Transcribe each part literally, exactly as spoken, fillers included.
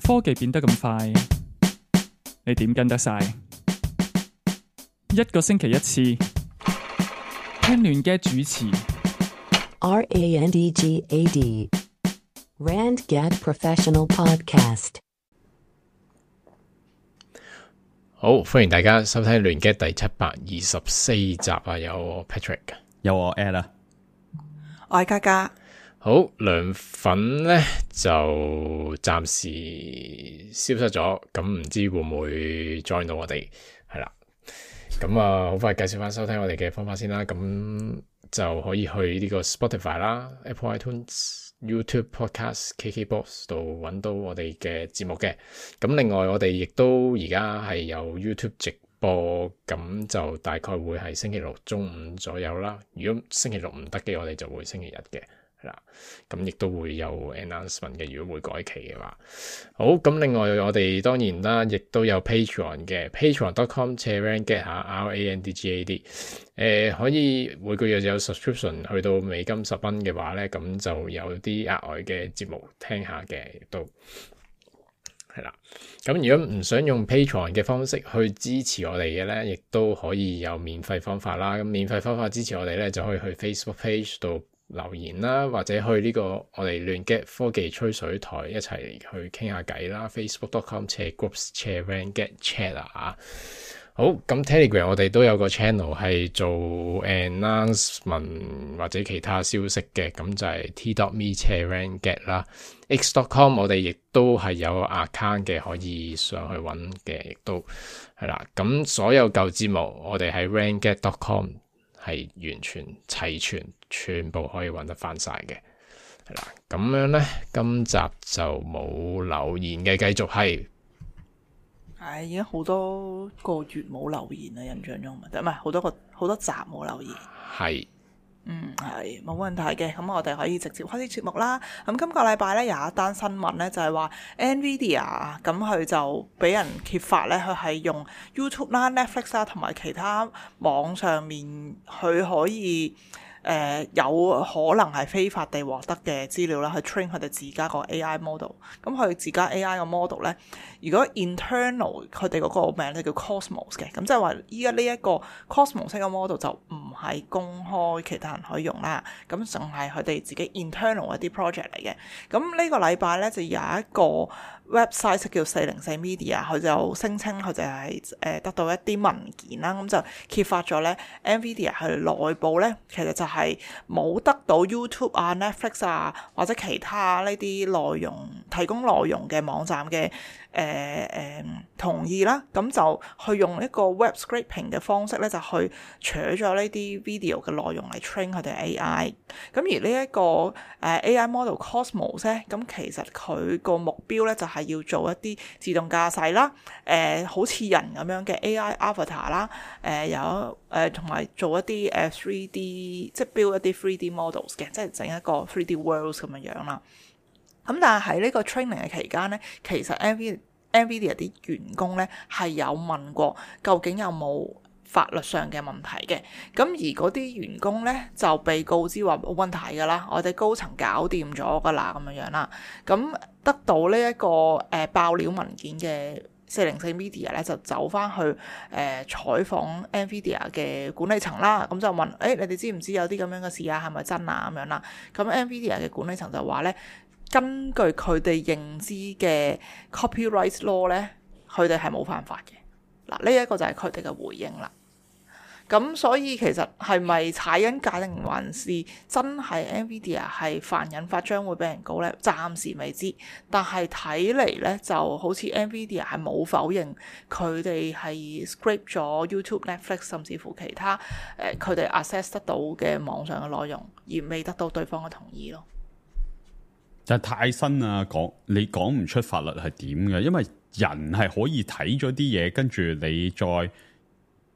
科技變得咁快，你點跟得晒？一個星期一次，聽亂嘅主持。R A N D G A D Randgad Professional Podcast。好，歡迎大家收聽亂嘅第七百二十四集啊！有我 Patrick， 有我 Ed 啦，我係嘉嘉。好，涼粉咧就暫時消失咗，咁唔知會唔會 join 到我哋？係啦，咁啊，好快介紹翻收聽我哋嘅方法先啦。咁就可以去呢個 Spotify 啦、Apple iTunes、YouTube Podcast、K K Box 度揾到我哋嘅節目嘅。咁另外我哋亦都而家係有 YouTube 直播，咁就大概會係星期六中午左右啦。如果星期六唔得嘅，我哋就會星期日嘅。係啦，咁亦都會有 announcement 嘅，如果會改期嘅話。好，咁另外我哋當然啦，亦都有 Patreon 嘅 patreon dot com 斜 randgad 下 R A N D G A D， 誒、呃、可以每個月有 subscription 去到美金十蚊嘅話咧，咁就有啲額外嘅節目聽下嘅，亦都係啦。咁如果唔想用 Patreon 嘅方式去支持我哋嘅咧，亦都可以有免費方法啦。咁免費方法支持我哋咧，就可以去 Facebook page 度留言啦，或者去呢個我哋亂 get 科技吹水台一齊去傾下偈啦。Facebook dot com 斜 groups 斜 randgad chat 啊。好，咁 Telegram 我哋都有個 channel 係做 announcement 或者其他消息嘅，咁就係 t dot me 斜 randgad 啦。X dot com 我哋亦都係有 account 嘅，可以上去揾嘅，亦都係啦。咁所有舊節目我哋喺 randgad dot com 係完全齊全，全部可以揾得翻晒嘅，係啦。咁樣咧，今集就冇留言嘅，繼續係，係已經好多個月冇留言啦，印象中唔係好多個好多集冇留言。係，嗯，係冇問題嘅。咁我哋可以直接開始節目啦。咁今個禮拜咧有一單新聞咧，就係話 Nvidia 咁佢就俾人揭發咧，佢係用 YouTube 啦、Netflix 啦同埋其他網上面佢可以誒、呃、有可能係非法地獲得嘅資料啦，去 train 佢哋自家個 A I model。咁佢自家 A I 個 model 咧，如果 internal 佢哋嗰個名咧叫 Cosmos 嘅，咁即係話依家呢一個 Cosmos 嘅 model 就唔係公開其他人可以用啦，咁淨係佢哋自己 internal 一啲 project 嚟嘅。咁呢個禮拜咧就有一個 website 叫四零四 Media， 佢就聲稱佢就係誒得到一啲文件啦，咁就揭發咗咧 Nvidia 佢內部咧其實就係冇得到 YouTube 啊、Netflix 啊或者其他呢啲內容提供內容嘅網站嘅誒誒同意啦，咁就去用一個 web scraping 嘅方式咧，就去取咗呢啲 video 嘅內容嚟 train 佢哋 A I。咁而呢、這、一個誒、呃、A I model Cosmos 咧，咁其實佢個目標咧就係、是、要做一啲自動駕駛啦，誒、呃、好似人咁樣嘅 A I avatar 啦，誒、呃、有誒同埋做一啲誒 three D 即係 build 一啲 three D models 嘅，即係整一個 three D worlds 咁樣樣啦。咁但係喺呢個 training 嘅期間咧，其實 Nvidia Nvidia 啲員工咧係有問過究竟有冇法律上嘅問題嘅，咁而嗰啲員工咧就被告知話冇問題㗎啦，我哋高層搞掂咗㗎啦咁樣樣啦。咁得到呢、這、一個誒、呃、爆料文件嘅四零四 Media 咧就走翻去誒、呃、採訪 Nvidia 嘅管理層啦，咁就問誒、欸、你哋知唔知有啲咁樣嘅事啊？係咪真啊？咁樣啦。咁 Nvidia 嘅管理層就話咧，根據佢哋認知嘅 copyright law 咧，佢哋係冇犯法嘅。嗱，呢一個就係佢哋嘅回應啦。咁所以其實係咪踩緊界定還是真係 Nvidia 係犯引發將會俾人告咧？暫時未知，但係睇嚟咧就好似 Nvidia 係冇否認佢哋係 scrape 咗 YouTube、Netflix 甚至乎其他誒佢哋 access 得到嘅網上嘅內容，而未得到對方嘅同意咯。但係太新啊，講你講唔出法律係點嘅，因為人係可以睇咗啲嘢，跟住你再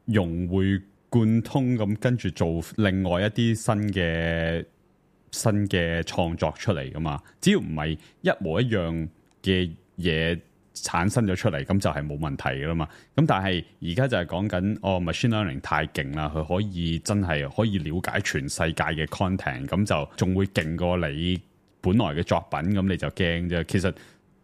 融會貫通咁，跟住做另外一啲新嘅新嘅創作出嚟噶嘛。只要唔係一模一樣嘅嘢產生咗出嚟，咁就係冇問題噶啦嘛。咁但係而家就係講緊哦 machine learning 太勁啦，佢可以真係可以了解全世界嘅 content，咁就仲會勁過你本來嘅作品，咁你就驚啫。其實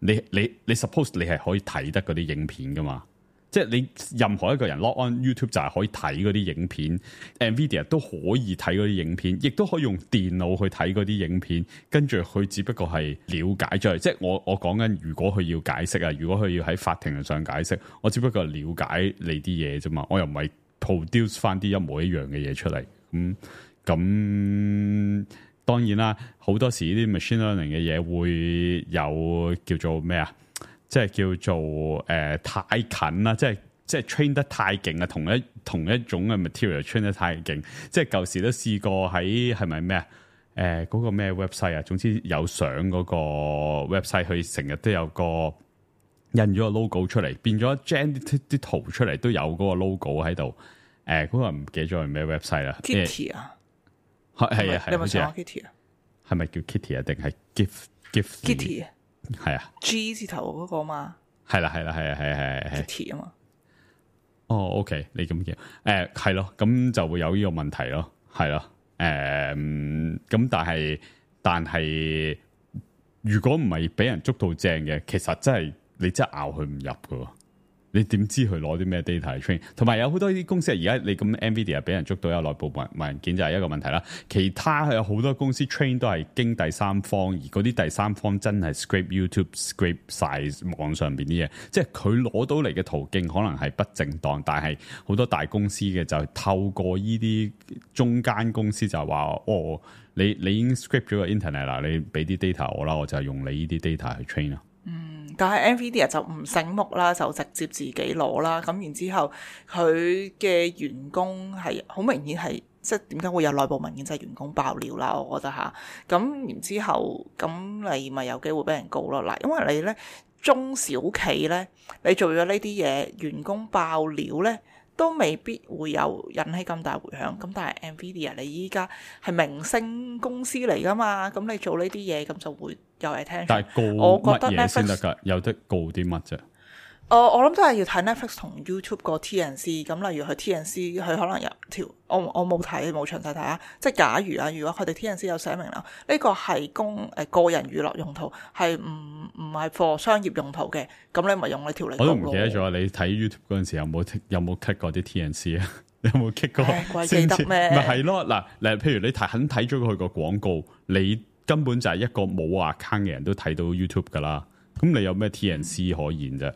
你你你 suppose 你係可以睇得嗰啲影片噶嘛？即係你任何一個人 log on YouTube 就係可以睇嗰啲影片 ，Nvidia 都可以睇嗰啲影片，亦都可以用電腦去睇嗰啲影片。跟住佢只不過係了解咗，即係我我講緊，如果佢要解釋啊，如果佢要喺法庭上解釋，我只不過係了解你啲嘢啫嘛，我又唔係 produce 翻啲一模一樣嘅嘢出嚟。咁咁當然啦，好多時呢啲 machine learning 嘅嘢會有叫做咩啊？即係叫做誒、呃、太近啦，即係即係 train 得太勁啊，同一同一種嘅 material train 得太勁，即係舊時都試過喺係咪咩啊？誒嗰、呃嗰個咩 website 啊？總之有相嗰個 website，佢成日都有個印咗個 logo 出嚟，變咗 gen 啲啲圖出嚟都有嗰個 logo 喺度。誒、呃、嗰、嗰個唔記得咗係咩 website 啦 Kitty 啊，係係啊，你有冇上過 Kitty Kitty 啊？係咪叫 Kitty 啊？定係 Gift Gift Kitty 啊？係啊 G 字頭嗰個嘛，係啦係啦係啊係係係 Kitty 啊嘛。哦 OK 你咁叫誒係咯，咁就會有呢個問題咯，係咯誒咁但係但係如果唔係俾人捉到正嘅，其實真係你真係拗佢唔入噶。你點知佢攞啲咩 data 嚟 train？ 同埋有好多呢啲公司而家你咁 Nvidia 俾人捉到有內部文文件就係一個問題啦。其他有好多公司 train 都係經第三方，而嗰啲第三方真係 scrape YouTube scrape 晒網上邊啲嘢，即係佢攞到嚟嘅途徑可能係不正當，但係好多大公司嘅就係透過呢啲中間公司就話哦，你你已經 scrape 咗個 internet 啦，你俾啲 data 我啦，我就用你呢啲 data 去 train 啦。嗯，但係 Nvidia 就唔醒目啦，就直接自己攞啦。咁然之後，佢嘅員工係好明顯係即係點解會有內部文件就係、是、員工爆料啦。我覺得吓，咁然之後咁你咪有機會俾人告咯。嗱，因為你咧中小企咧，你做咗呢啲嘢，員工爆料咧，都未必會有引起咁大迴響。咁但係 Nvidia 你依家係明星公司嚟噶嘛，咁你做呢啲嘢咁就會有 attention。但係告乜嘢先得㗎？有得告啲乜啫？誒、呃，我諗都係要睇 Netflix 同 YouTube 個 T N C。咁例如佢 T N C，佢可能有條我我冇睇冇詳細睇啊。即係假如啊，如果佢哋 T N C 有寫明啦，呢個係供誒個人娛樂用途，係唔唔係 for 商業用途嘅，咁你咪用呢條嚟。我都唔記得咗，你睇 YouTube 嗰陣時有冇有冇 cut 過啲 T N C 啊？你有冇 cut 過？鬼記得咩？咪係咯，嗱嗱，譬如你睇肯睇咗佢個廣告，你根本就係一個冇 account 嘅人都睇到 YouTube 噶啦。咁你有咩 T N C 可言啫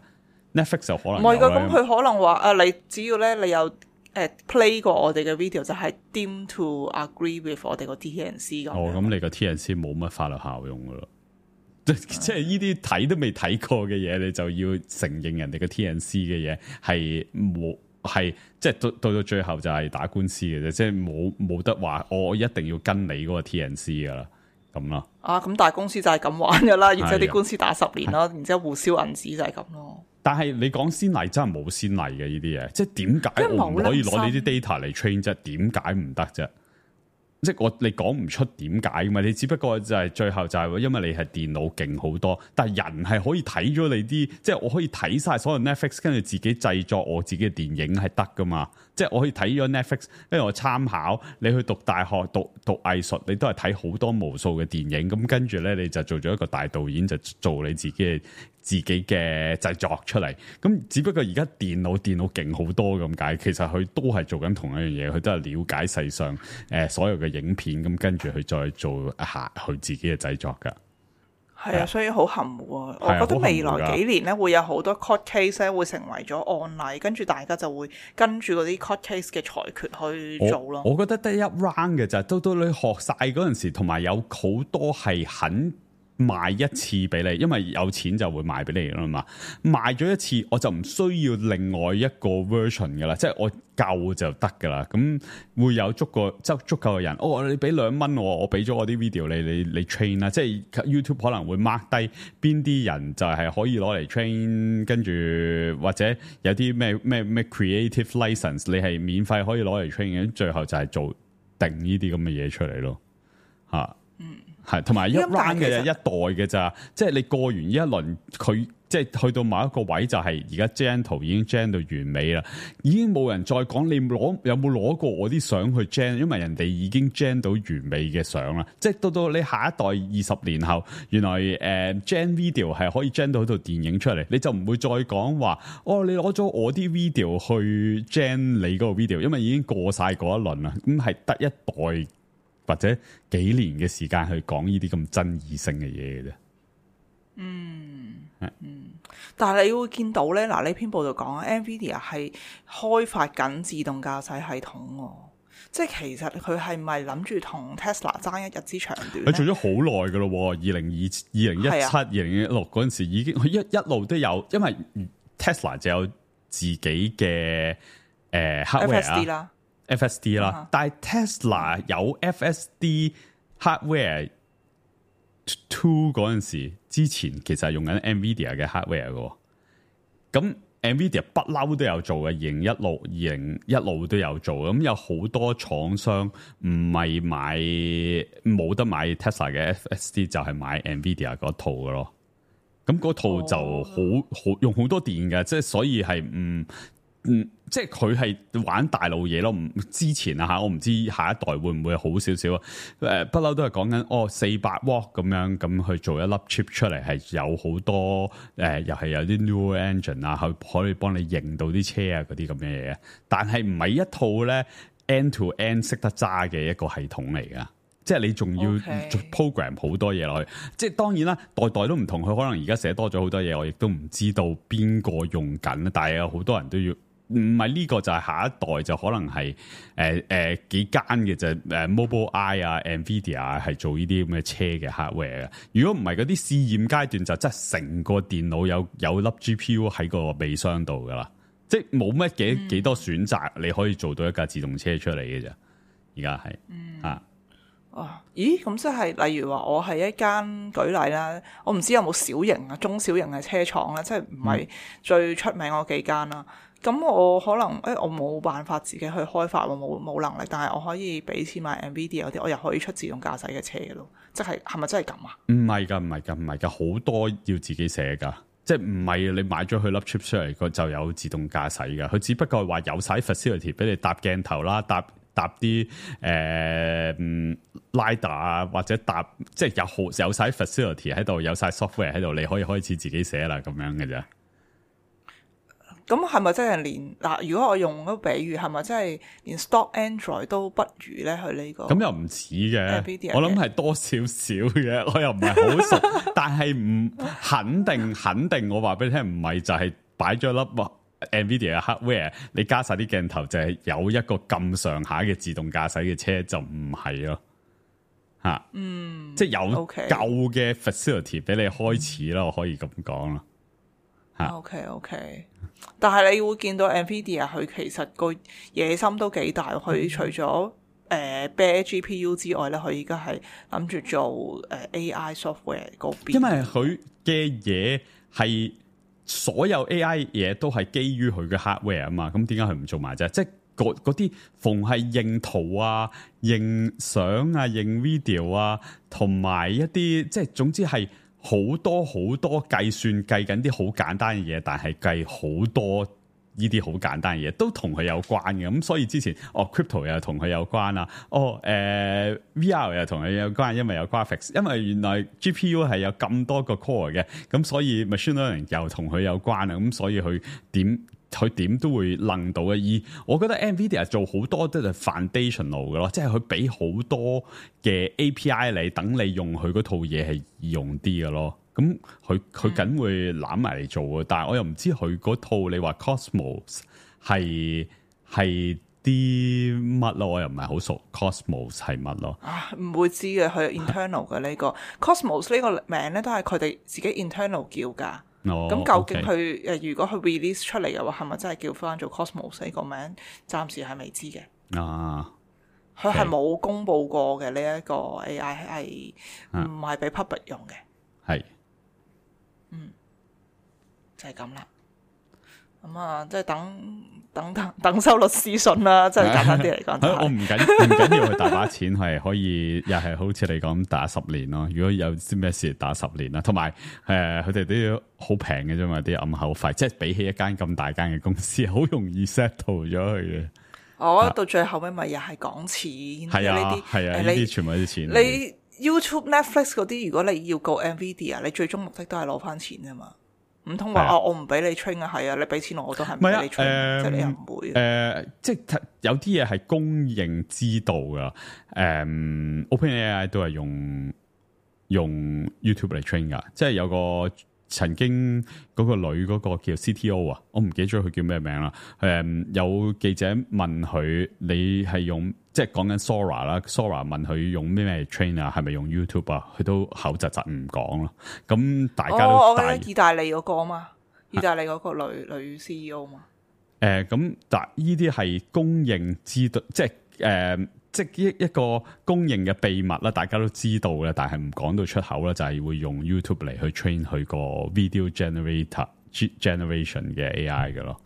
？Netflix 就可能唔係噶，咁佢可能話啊，你只要咧你有誒、呃、play 過我哋嘅 video，就係 deem to agree with 我哋個 T N C 咁。哦，咁你個 T N C 冇乜法律效用噶咯，即即係呢啲睇都未睇過嘅嘢，你就要承認人哋嘅 T N C 嘅嘢係冇係即係到到到最後就係打官司嘅啫，即係冇冇得話我一定要跟你嗰個 T N C 噶啦咁咯。啊，咁大公司就係咁玩噶啦，然之後啲官司打十年咯，然之後互燒銀紙就係咁咯。但係你講先例真係冇先例嘅呢啲嘢，即係點解我唔可以攞呢啲 data 嚟 train 啫？點解唔得啫？即係我你講唔出點解㗎嘛？你只不過就係最後就係因為你係電腦勁好多，但係人係可以睇咗你啲，即係我可以睇晒所有 Netflix，跟住自己製作我自己嘅電影係得㗎嘛？即係我可以睇咗 Netflix，跟住我參考你去讀大學讀讀藝術，你都係睇好多無數嘅電影，咁跟住咧你就做咗一個大導演，就做你自己嘅自己嘅製作出嚟。咁只不過而家電腦電腦勁好多咁解，其實佢都係做緊同一樣嘢，佢都係了解世上誒、呃、所有嘅影片，咁跟住佢再做下佢自己嘅製作噶。係啊，所以好含糊啊！我覺得未來幾年咧會有好多 court case 咧會成為咗案例，跟住大家就會跟住嗰啲 court case 嘅裁決去做咯。我覺得得一 round 嘅咋，到到你學晒嗰陣時，同埋有好多係肯賣一次俾你，因為有錢就會賣俾你啦嘛。賣咗一次，我就唔需要另外一個 version 噶啦，即係我夠就得噶啦。咁會有足個足足夠嘅人，哦，你俾兩蚊我，我俾咗我啲 video 你，你你 train 啦。即係 YouTube 可能會 mark 低邊啲人就係可以攞嚟 train，跟住或者有啲咩咩咩 creative license，你係免費可以攞嚟 train 嘅。最後就係做定呢啲咁嘅嘢出嚟咯，吓、啊。嗯，係同埋一 round 嘅啫，一代嘅咋，即係你過完呢一輪，佢即係去到某一個位就係而家 gen 圖已經 gen 到完美啦，已經冇人再講你攞有冇攞過我啲相去 gen，因為人哋已經 gen 到完美嘅相啦。即係到到你下一代二十年後，原來誒、呃、gen video 係可以 gen 到套電影出嚟，你就唔會再講話哦，你攞咗我啲 video 去 gen 你嗰個 video，因為已經過晒嗰一輪啦。咁係得一代或者幾年嘅時間去講呢啲咁爭議性嘅嘢嘅啫。嗯嗯，但係你會見到咧，嗱呢篇報道講啊 ，NVIDIA 係開發緊自動駕駛系統喎，即係其實佢係咪諗住同 Tesla 爭一日之長短？佢做咗好耐㗎咯喎，二零二二零一七、二零一六嗰陣時已經，佢一一路都有，因為 Tesla 就有自己嘅誒 hardware 啦。F S D 啦，uh-huh. 但係 Tesla 有 F S D hardware two 嗰陣時，之前其實係用緊 NVIDIA 嘅 hardware 嘅。咁 NVIDIA 不嬲都有做嘅，二零一六、二零一路都有做。咁有好多廠商唔係買冇得買 Tesla 嘅 F S D，就係買 NVIDIA 嗰套嘅咯。咁嗰套就好好、oh. 用好多電嘅，即係所以係唔。嗯，即係佢係玩大路嘢咯。唔之前啊吓，我唔知下一代會唔會好少少啊。誒，不嬲都係講緊哦，四百瓦咁樣咁去做一粒 chip 出嚟，係有好多誒、呃，又係有啲 neural engine 啊，去可以幫你認到啲車啊嗰啲咁嘅嘢。但係唔係一套咧 end to end 識得揸嘅一個系統嚟噶。即係你仲要 program 好多嘢落去。即係當然啦，代代都唔同。佢可能而家寫多咗好多嘢，我亦都唔知道邊個用緊。但係有好多人都要。唔係呢個就係下一代，就可能係誒誒幾間嘅就誒 Mobileye 啊 NVIDIA 係做呢啲咁嘅車嘅 hardware 嘅。如果唔係嗰啲試驗階段，就真係成個電腦有有粒 G P U 喺個尾箱度噶啦，即係冇乜幾幾多選擇，你可以做到一架自動車出嚟嘅啫。而家係啊。哦，咦？咁即係例如話，我係一間舉例啦，我唔知有冇小型啊、中小型嘅車廠啦，即係唔係最出名嗰幾間啦。咁、嗯、我可能誒、欸，我冇辦法自己去開發，我冇冇能力，但係我可以俾錢買 NVIDIA 嗰啲，我又可以出自動駕駛嘅車嘅咯。即係係咪真係咁啊？唔係㗎，唔係㗎，唔係㗎，好多要自己寫㗎。即係唔係你買咗佢粒 chip 出嚟，佢就有自動駕駛㗎。佢只不過係話有晒 facility 俾你搭鏡頭啦，搭。搭啲誒 LiDAR 啊，或者搭即係有好有晒 facility 喺度，有晒 software 喺度，你可以開始自己寫啦，咁樣嘅啫。咁係咪真係連嗱？如果我用嗰個比喻，係咪真係連 stock Android 都不如咧？佢呢個咁又唔似嘅，我諗係多少少嘅，我又唔係好熟，但係唔肯定肯定，我話俾你聽，唔係就係擺咗粒。NVIDIA 嘅 hardware， 你加晒啲鏡頭就係有一個咁上下嘅自動駕駛嘅車就唔係咯，吓，嗯，即係有舊嘅 facility 俾你開始啦，我可以咁講啦，吓。OK OK，但係你會見到 NVIDIA 佢其實個野心都幾大，佢除咗誒 bare G P U 之外咧，佢而家係諗住做誒 A I software 嗰邊，因為佢嘅嘢係。所有 A I 嘢都係基於佢嘅 hardware 啊嘛，咁點解佢唔做埋啫？即係嗰嗰啲逢係認圖啊、認相啊、認 video 啊，同埋一啲即係總之係好多好多計算計緊啲好簡單嘅嘢，但係計好多呢啲好簡單嘅嘢都同佢有關嘅。咁所以之前哦 crypto 又同佢有關啊，哦誒、呃、V R 又同佢有關，因為有 graphics， 因為原來 G P U 係有咁多個 core 嘅，咁所以 machine learning 又同佢有關啊，咁所以佢點佢點都會諗到嘅。而我覺得 NVIDIA 做好多都係 foundational 嘅咯，即係佢俾好多嘅 A P I 你，等你用佢嗰套嘢係易用啲嘅咯。咁佢佢梗會攬埋嚟做嘅，但係我又唔知佢嗰套你話 Cosmos 係係啲乜咯，我又唔係好熟 Cosmos 係乜咯。啊，唔會知嘅，佢 internal 嘅呢個 Cosmos 呢個名咧都係佢哋自己 internal 叫㗎。哦，咁究竟佢誒如果佢 release 出嚟嘅話，係咪真係叫翻做 Cosmos 呢個名？暫時係未知嘅。啊，佢係冇公佈過嘅呢一個 A I 係唔係俾 public 用嘅？係。嗯，就係咁啦。咁啊，即係等等等等收律師信啦，即係簡單啲嚟講。我唔緊唔緊要，佢大把錢係可以，又係好似你講打十年咯。如果有啲咩事打十年啦，同埋誒佢哋都要好平嘅啫嘛，啲暗口費，即係比起一間咁大間嘅公司，好容易 settle 咗佢嘅。我、哦、到最後尾咪又係講錢，係啊，呢啲係啊，呢啲全部都係錢。你 YouTube、Netflix 嗰啲，如果你要告 Nvidia， 你最終目的都係攞翻錢啫嘛。唔通話哦，我唔俾你 train 啊？係啊，你俾錢我，我都係唔俾你 train，、呃、即係你又唔會。誒、呃，即係有啲嘢係公認知道噶。誒、呃、，OpenAI 都係用用 YouTube 嚟 train 噶，即係有個。曾經嗰個女嗰個叫 C T O 啊，我唔記得咗佢叫咩名啦。誒，有記者問佢：你係用即係講緊 Sora 啦 ，Sora 問佢用咩咩 train 啊？係咪用 YouTube 啊？佢都口窒窒唔講咯。咁大家都大、哦、我覺得意大利嗰個啊嘛，意大利嗰個女、啊、女 C E O 嘛。誒、呃，咁但呢啲係公認知道，即係誒。呃即係一一個公認嘅秘密啦，大家都知道嘅，但係唔講到出口啦，就係、是、會用 YouTube 嚟去 train 佢個 video generator generation 嘅 A I 嘅咯。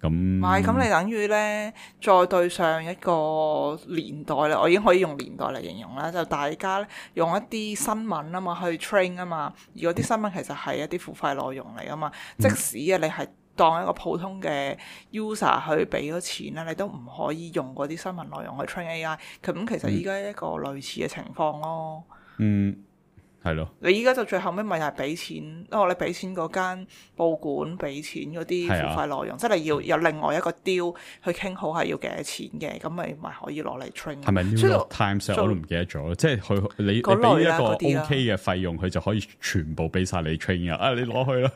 咁唔係，咁你等於咧，再對上一個年代咧，我已經可以用年代嚟形容啦。就大家咧用一啲新聞啊嘛去 train 啊嘛，而嗰啲新聞其實係一啲付費內容嚟啊嘛。即使啊，你係當一個普通嘅 user 去俾咗錢啦，你都唔可以用嗰啲新聞內容去 train A I。咁其實依家一個類似嘅情況咯。嗯，係咯。你依家就最後尾咪係俾錢，哦，你俾錢嗰間報館俾錢嗰啲付費內容，即係你要有另外一個 deal 去傾好係要幾多錢嘅，咁咪咪可以攞嚟 train。係咪 New York Times 我都唔記得咗，即係佢你你俾一個 OK 嘅費用，佢就可以全部俾晒你 train 啊！啊，你攞去啦。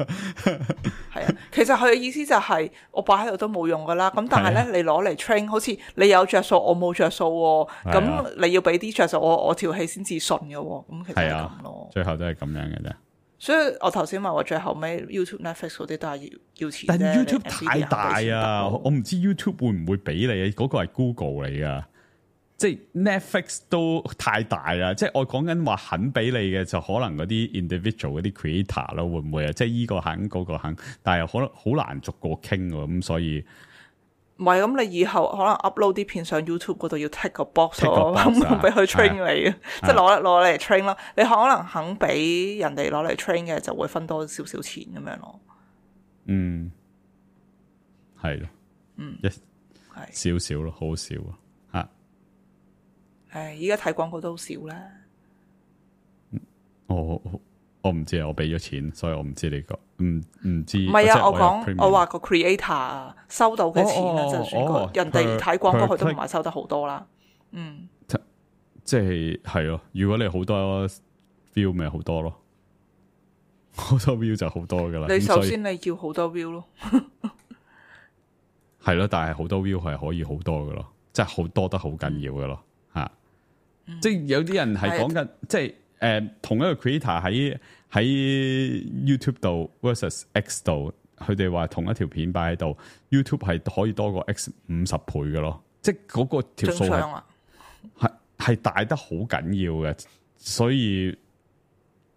係啊，其實佢嘅意思就係、是、我擺喺度都冇用噶啦，咁但係咧、啊、你攞嚟 train，好似你有着數，我冇着數喎，咁、啊、你要俾啲着數，我我條氣先至順嘅喎，咁其實係咁咯，最後都係咁樣嘅啫。所以我頭先話我最後尾 YouTube、Netflix 嗰啲都係要要錢，但係 YouTube 太大啊，我唔知 YouTube 會唔會俾你，嗰、那個係 Google 嚟噶。即係 Netflix 都太大啦，即係我講緊話肯俾你嘅就可能嗰啲 individual 嗰啲 creator 咯，會唔會啊？即係依個肯嗰個肯，但係可能好難逐個傾喎，咁所以唔係咁，你以後可能 upload 啲片上 YouTube 嗰度要 take 個 box 咯，咁俾佢 train 你嘅，即係攞攞嚟 train 咯。你可能肯俾人哋攞嚟 train 嘅，就會分多少少錢咁樣咯。嗯，係咯，嗯，一少少咯，好少啊。誒，依家睇廣告都好少啦。我我唔知啊，我俾咗錢，所以我唔知你個唔唔知。唔係啊，我講我話個 creator 啊，收到嘅錢啊，就算個人哋睇廣告，佢都唔係收得好多啦。嗯，即係係咯，如果你好多 view 咪好多咯，好多 view 就好多噶啦。你首先你要好多 view 咯，係咯，但係好多 view 係可以好多噶咯，即係好多得好緊要噶咯。嗯、即係有啲人係講緊，即係誒、呃、同一個 creator 喺喺 YouTube 度 versus X 度，佢哋話同一條片擺喺度 ，YouTube 係可以多過 X 五十倍嘅咯。即係嗰個條數係係係大得好緊要嘅，所以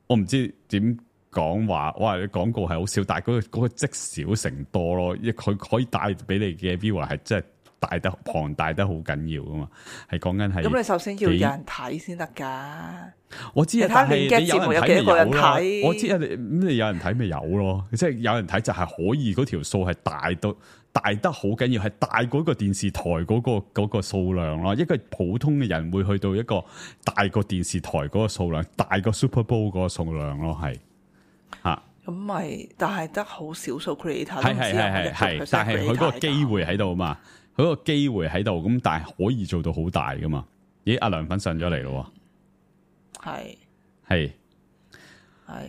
我唔知點講話。哇！你廣告係好少，但係嗰、嗰個嗰、嗰個積少成多咯，因為佢可以帶俾你嘅 viewer 係真係。大得龐大得好緊要噶嘛，係講緊係。咁你首先要有人睇先得噶。我知啊，但係你有人睇咪有咯。我知啊，你咁你有人睇咪有咯，即係有人睇就係可以嗰條數係大到大得好緊要，係大過個電視台嗰、嗰個嗰、嗰個數量咯。一個普通嘅人會去到一個大過電視台嗰個數量，大過 Super Bowl 嗰個數量咯，係吓。咁咪但係得好少數 creator，係係係係，但係佢嗰個機會喺度嘛。佢個機會喺度，咁但係可以做到好大噶嘛？咦，阿梁粉上咗嚟咯，係係係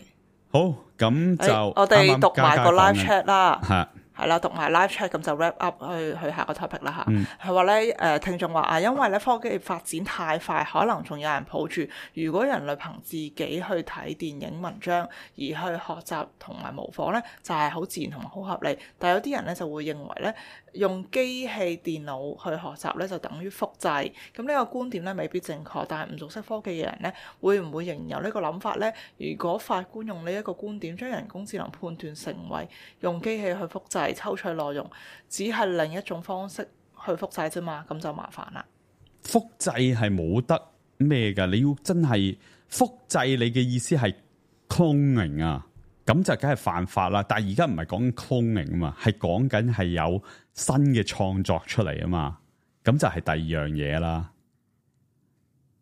好，咁就、欸、我哋讀埋個 live chat 啦，係係啦，讀埋 live chat 咁就 wrap up 去去下個 topic 啦吓。係話咧，誒，聽眾話啊，因為咧科技發展太快，可能仲有人抱住如果人類憑自己去睇電影文章而去學習同埋模仿咧，就係、是、好自然同埋好合理。但係有啲人咧就會認為咧，用機器電腦去學習咧就等於複製。咁呢個觀點咧未必正確，但係唔熟悉科技嘅人咧，會唔會仍然有呢個諗法咧？如果法官用呢一個觀點將人工智能判斷成為用機器去複製，製抽取內容，只係另一種方式去複製啫嘛，咁就麻煩啦。複製係冇得咩㗎？你要真係複製，你嘅意思係 cloning 啊？咁就梗係犯法啦。但係而家唔係講緊 cloning 啊嘛，係講緊係有新嘅創作出嚟啊嘛。咁就係第二樣嘢啦。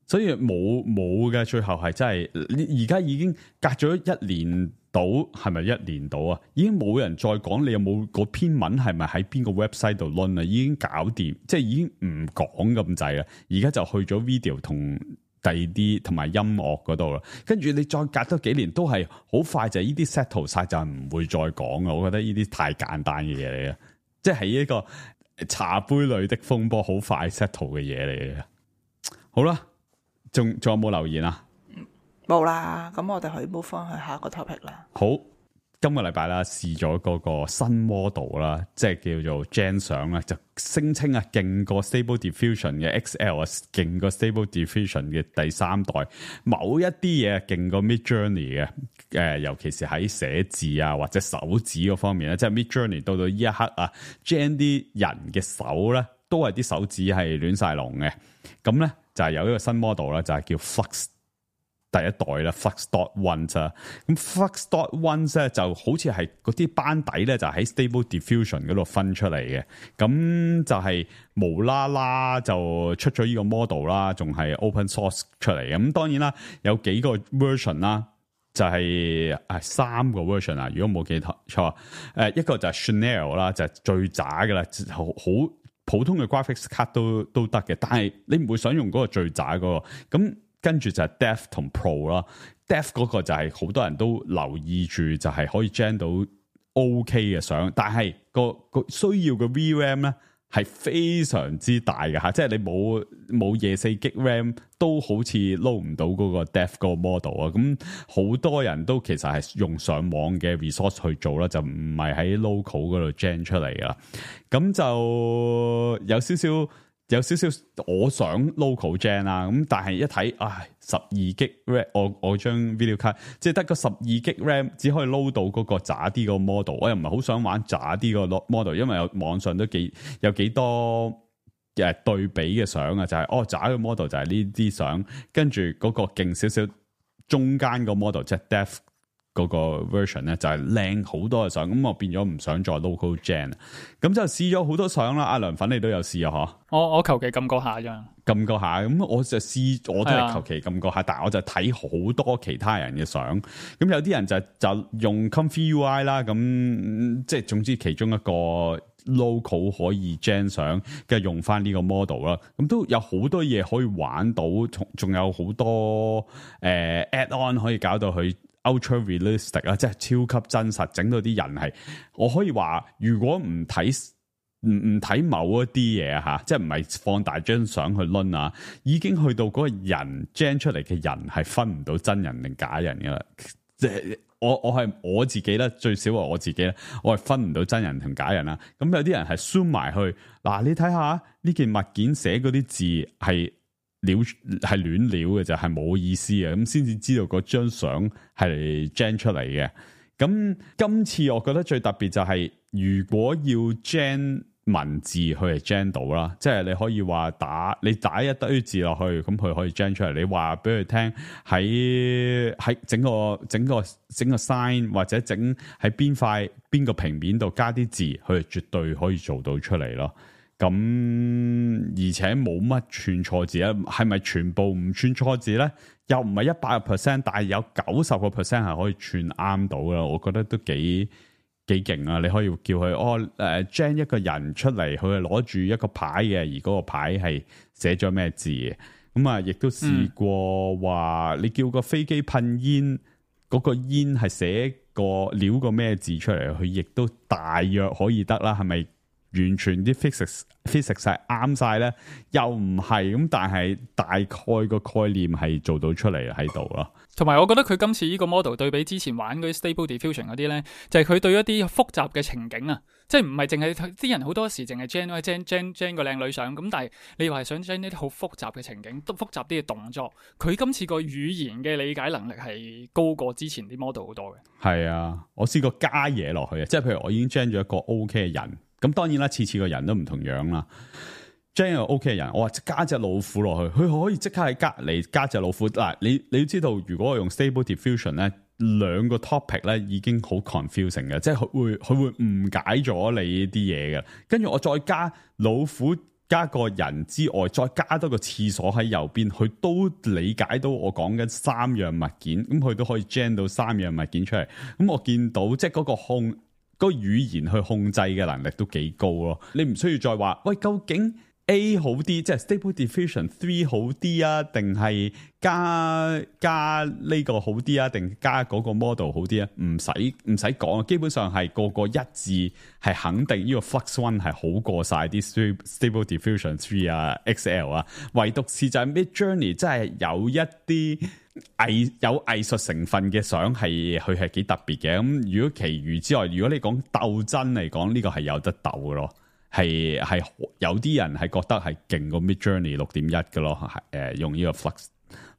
所以冇冇嘅，最後係真係，而家已經隔咗一年到，係咪一年到啊？已經冇人再講你有冇嗰篇文係咪喺邊個 website 度 run 啊？已經搞掂，即係已經唔講咁滯啦。而家就去咗 video 同第二啲同埋音樂嗰度啦。跟住你再隔多幾年都係好快就係呢啲 settle 晒，就唔會再講啊。我覺得呢啲太簡單嘅嘢嚟嘅，即係一個茶杯裏的風波，好快 settle 嘅嘢嚟嘅。好啦。仲仲有冇留言啊？冇啦，咁我哋可以 move 翻去下一個 topic 啦。好，今個禮拜啦，試咗嗰個新 model 啦，即係叫做 Gen 相啦，就聲稱啊，勁過 Stable Diffusion 嘅 X L 啊，勁過 Stable Diffusion 嘅第三代，某一啲嘢勁過 Midjourney 嘅，誒、呃，尤其是喺寫字啊或者手指嗰方面咧，即係 Midjourney 到到呢一刻啊 ，Gen 啲人嘅手咧，都係啲手指係亂晒龍嘅，咁咧。就係有一個新 model 啦，就係叫 Flux 第一代啦 ，Flux dot one 啊。咁 Flux dot one 咧就好似係嗰啲班底咧，就喺 Stable Diffusion 嗰度分出嚟嘅。咁就係無啦啦就出咗呢個 model 啦，仲係 open source 出嚟嘅。咁當然啦，有幾個 version 啦，就係誒三個 version 啊。如果冇記錯，誒一個就係 Chanel 啦，就係最渣嘅啦，好好。普通嘅 graphics card 都都得嘅，但係你唔會想用嗰個最渣嗰個。咁跟住就係 Depth 同 Pro 啦 ，Depth 嗰個就係好多人都留意住，就係可以 gen 到 OK 嘅相，但係個個需要嘅 V RAM 咧係非常之大嘅嚇，即係你冇冇廿四 G RAM 都好似撈唔到嗰個 Depth 嗰個 model 啊。咁好多人都其實係用上網嘅 resource 去做啦，就唔係喺 local 嗰度 gen 出嚟噶。咁就有少少有少少我想 local gen 啦，咁但係一睇，唉，十二 G RAM，我我張 video card 即係得個十二 G RAM，只可以撈到嗰個渣啲個 model，我又唔係好想玩渣啲個 model，因為有網上都幾有幾多誒對比嘅相啊，就係、是、哦渣嘅 model 就係呢啲相，跟住嗰個勁少少中間個 model 即係 depth。嗰個 version 咧就係靚好多嘅相，咁我變咗唔想再 local gen，咁就試咗好多相啦。阿梁粉你都有試啊？嗬，我我求其撳過下啫，撳過下，咁我就試，我都係求其撳過下，但係我就睇好多其他人嘅相，咁有啲人就就用 Comfy U I 啦，咁即係總之其中一個 local 可以 gen 相，跟住用翻呢個 model 啦，咁都有好多嘢可以玩到，仲有好多誒、呃、add on 可以搞到佢。Ultra realistic 啊，即係超級真實，整到啲人係，我可以話，如果唔睇唔唔睇某一啲嘢吓，即係唔係放大張相去掄啊，已經去到嗰個人 gen 出嚟嘅人係分唔到真人定假人噶啦。即係我我係我自己咧，最少係我自己咧，我係分唔到真人同假人啦。咁有啲人係 zoom 埋去，嗱，你睇下呢件物件寫嗰啲字係。料係亂料嘅就係冇意思嘅，咁先至知道嗰張相係 gen 出嚟嘅。咁今次我覺得最特別就係、是，如果要 gen 文字，佢係 gen 到啦，即係你可以話打你打一堆字落去，咁佢可以 gen 出嚟。你話俾佢聽喺喺整個整個整個 sign 或者整喺邊塊邊個平面度加啲字，佢係絕對可以做到出嚟咯。咁而且冇乜串錯字咧，係咪全部唔串錯字咧？又唔係一百個 percent，但係有九十個 percent 係可以串啱到噶。我覺得都幾幾勁啊！你可以叫佢哦誒、呃、gen 一個人出嚟，佢係攞住一個牌嘅，而嗰個牌係寫咗咩字嘅。咁啊，亦都試過話、嗯、你叫個飛機噴煙，嗰、嗰個煙係寫個料個咩字出嚟，佢亦都大約可以得啦。係咪？完全啲 physics physics 係啱晒咧，又唔係咁，但係大概個概念係做到出嚟喺度咯。同埋我覺得佢今次呢個 model 對比之前玩嗰啲 Stable Diffusion 嗰啲咧，就係、是、佢對一啲複雜嘅情景啊，即係唔係淨係啲人好多時淨係 gen gen gen gen 個靚女相咁，但係你話係想 gen 一啲好複雜嘅情景，都複雜啲嘅動作，佢今次個語言嘅理解能力係高過之前啲 model 好多嘅。係啊，我試過加嘢落去啊，即係譬如我已經 gen 咗一個 OK 嘅人，咁當然啦，次次個人都唔同樣啦。gen 一個 OK 嘅人，我話加隻老虎落去，佢可以即刻喺隔籬加隻老虎。嗱，你你要知道，如果我用 Stable Diffusion 咧，兩個 topic 咧已經好 confusing 嘅，即係佢會佢會誤解咗你啲嘢嘅。跟住我再加老虎加個人之外，再加多個廁所喺右邊，佢都理解到我講緊三樣物件，咁佢都可以 gen 到三樣物件出嚟。咁我見到即係嗰個控嗰個語言去控制嘅能力都幾高咯。你唔需要再話喂，究竟A 好啲，即係 Stable Diffusion three 好啲啊，定係加加呢個好啲啊，定加嗰個 model 好啲啊？唔使唔使講，基本上係個個一致係肯定呢個 Flux One 係好過晒啲 Stable Diffusion three 啊 X L 啊，唯獨是就係 Midjourney 真係有一啲藝有藝術成分嘅相係佢係幾特別嘅。咁如果其餘之外，如果你講鬥真嚟講，呢、這個係有得鬥嘅咯。係係有啲人係覺得係勁過 Midjourney 六點一嘅咯，係誒、呃、用呢個 Flux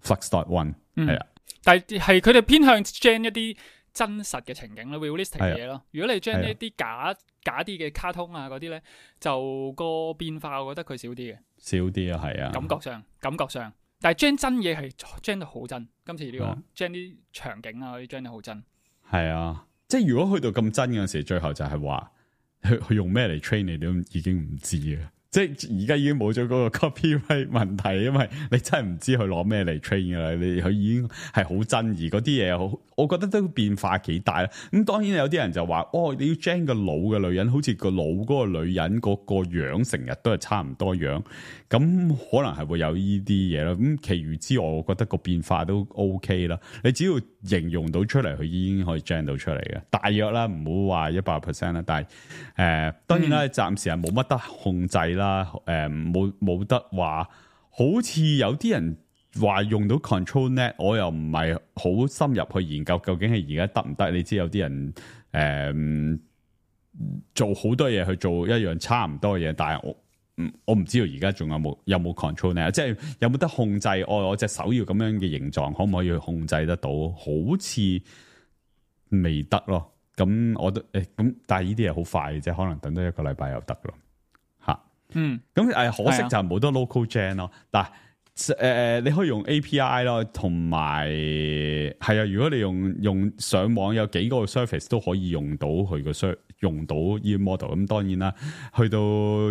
Flux dot one 係啊，但係係佢哋偏向 gen 一啲真實嘅情景咯 ，realistic 嘅嘢咯。如果你 gen 一啲假假啲嘅卡通啊嗰啲咧，就個變化我覺得佢少啲嘅，少啲啊，係啊，感覺上感覺上，但係 gen 真嘢係 gen 得好真。今次呢、這個 gen 啲場景啊嗰啲 gen 得好真，係啊，即係如果去到咁真嘅時，最後就係話。佢佢用咩嚟 train 你都已經唔知啊！即係而家已經冇咗嗰個 copyright 問題，因為你真係唔知佢攞咩嚟 train 噶啦，你佢已經係好真，而嗰啲嘢好，我覺得都變化幾大啦。咁當然有啲人就話，哦，你要 gen 個老嘅女人，好似個老嗰個女人嗰個樣成日都係差唔多樣，咁可能係會有呢啲嘢啦。咁其餘之外，我覺得個變化都 OK 啦。你只要形容到出嚟，佢已經可以 gen 到出嚟嘅，大約啦，唔好話一百 percent 啦。但係誒、呃，當然啦，暫時係冇乜得控制啦。啦，誒，冇冇得話，好似有啲人話用到 control net，我又唔係好深入去研究究竟係而家得唔得？你知有啲人誒、嗯、做好多嘢去做一樣差唔多嘅嘢，但係我唔我唔知道而家仲有冇有冇 control net，即係有冇得控制？我我隻手要咁樣嘅形狀，可唔可以去控制得到？好似未得咯。咁我都誒咁，但係呢啲嘢好快嘅啫，可能等多一個禮拜又得咯。嗯，咁誒可惜就冇得 local gen 咯，但係誒誒你可以用 A P I 咯，同埋係啊，如果你用用上網有幾個 service 都可以用到佢個 service 用到呢個 model，咁當然啦，去到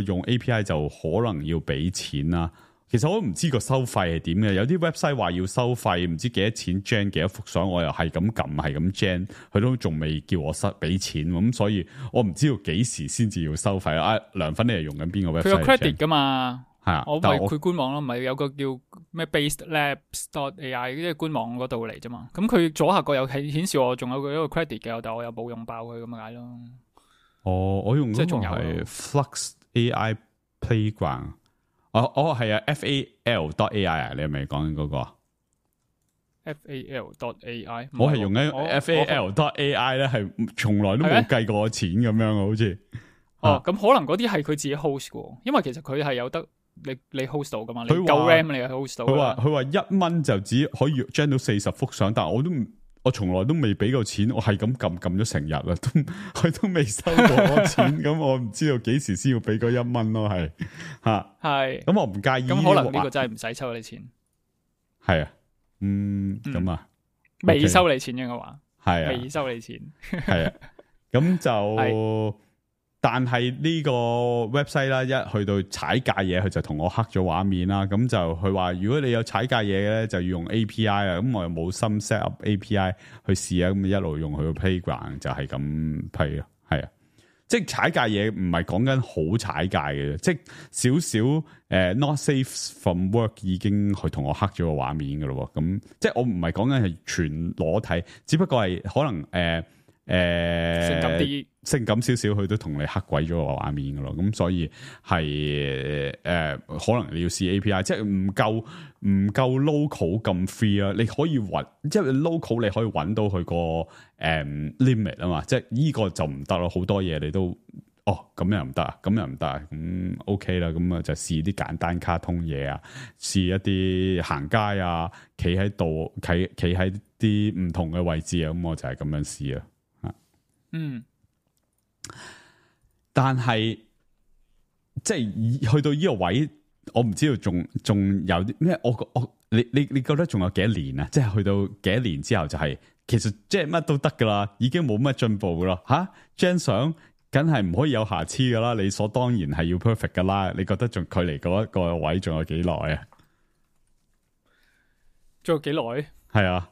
用 A P I 就可能要俾錢啦。其實我都唔知個收費係點嘅，有啲 website 話要收費，唔知幾多錢 gen 幾多幅相，我又係咁撳係咁 gen，佢都仲未叫我塞俾錢，咁所以我唔知道幾時先至要收費啊。梁粉你係用緊邊個 website？ 佢有 credit 噶嘛？係啊，我咪佢官網咯，咪有個叫咩 Based Labs dot A I 即係官網嗰度嚟啫嘛。咁佢左下角有顯顯示我仲有一個 credit 嘅，但係我又冇用爆佢咁解咯。哦，我用嗰個係 Flux A I Playground。哦哦係啊 ，F A L dot A I 啊，你係咪講緊嗰個 ？F A L dot A I， 我係用緊 F A L dot A I 咧，係從來都冇計過我錢咁樣啊，好似。哦，咁、啊、可能嗰啲係佢自己 host 嘅，因為其實佢係有得你你 host 到噶嘛，你夠 RAM 你係 host 到。佢話佢話一蚊就只可以 gen 到四十幅相，但係我都唔。我從來都未俾過錢，我係咁撳撳咗成日啦，都佢都未收過我錢，咁我唔知道幾時先要俾嗰一蚊咯，係吓係，咁我唔介意。咁可能呢個真係唔使收你錢，係啊，嗯，咁、嗯、啊，未收你錢嘅話，係啊，未收你錢，係啊，咁就。但係呢個 website 啦，一去到踩界嘢，佢就同我黑咗畫面啦。咁就佢話，如果你有踩界嘢咧，就要用 A P I 啊。咁我又冇心 set up A P I 去試啊。咁一路用佢個 playground 就係咁批咯。係啊，即係踩界嘢唔係講緊好踩界嘅，即係少少誒 not safe from work 已經去同我黑咗個畫面噶咯。咁即係我唔係講緊係全裸體，只不過係可能誒。呃誒、誒性感啲、性感少少，佢都同你黑鬼咗個畫面噶咯。咁所以係誒、呃，可能你要試 A P I， 即係唔夠唔夠 local 咁 free 啊。你可以揾，即係 local 你可以揾到佢個誒 limit 啊嘛。即係呢個就唔得咯，好多嘢你都。哦，咁又唔得啊，咁又唔得啊，咁 OK 啦，咁啊就試啲簡單卡通嘢啊，試一啲行街啊，企喺度，企企喺啲唔同嘅位置啊，咁我就係咁樣試啊，嗯，但係即係去到呢個位，我唔知道仲仲有啲咩，我我你你你覺得仲有幾多年啊？即係去到幾多年之後就係、是，其實即係乜都得噶啦，已經冇乜進步噶啦，吓張相。梗係唔可以有瑕疵噶啦，理所當然係要 perfect 噶啦。你覺得仲距離嗰一個位仲有幾耐啊？仲有幾耐？係啊，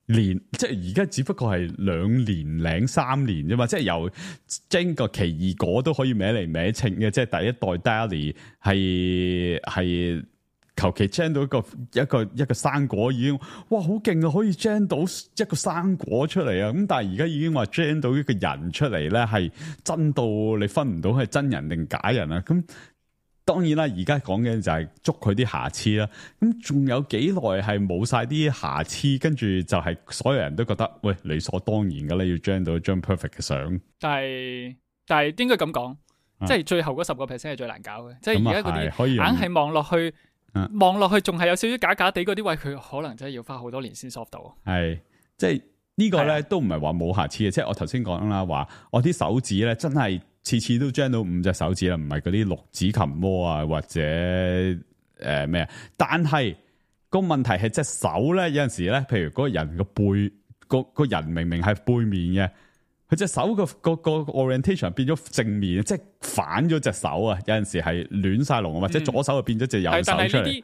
年即係而家只不過係兩年零三年啫嘛，即係由整個奇異果都可以歪嚟歪稱嘅，即係第一代 Dali 係係。求其 gen 到一個一個一個生果已經哇好勁啊，可以 gen 到一個生果出嚟啊！咁但係而家已經話 gen 到一個人出嚟咧，係真到你分唔到係真人定假人啊！咁當然啦，而家講嘅就係捉佢啲瑕疵啦。咁仲有幾耐係冇晒啲瑕疵，跟住就係所有人都覺得喂理所當然噶啦，要 gen 到一張 perfect 嘅相。但係但係應該咁講，啊、即係最後嗰十個 percent 係最難搞嘅，即係而家嗰啲硬係望落去。望落去仲係有少少假假地嗰啲位，佢可能真係要花好多年先 soft 到。係，即係呢個咧都唔係話冇瑕疵嘅，即係我頭先講啦，話我啲手指咧真係次次都 gen 到五隻手指啦，唔係嗰啲六指琴魔啊或者誒咩啊。但係個問題係隻手咧有陣時咧，譬如嗰個人個背個個人明明係背面嘅。佢隻手個個個 orientation 變咗正面，即係反咗隻手啊！有陣時係亂晒龍，或者左手就變咗隻右手出嚟。但係呢啲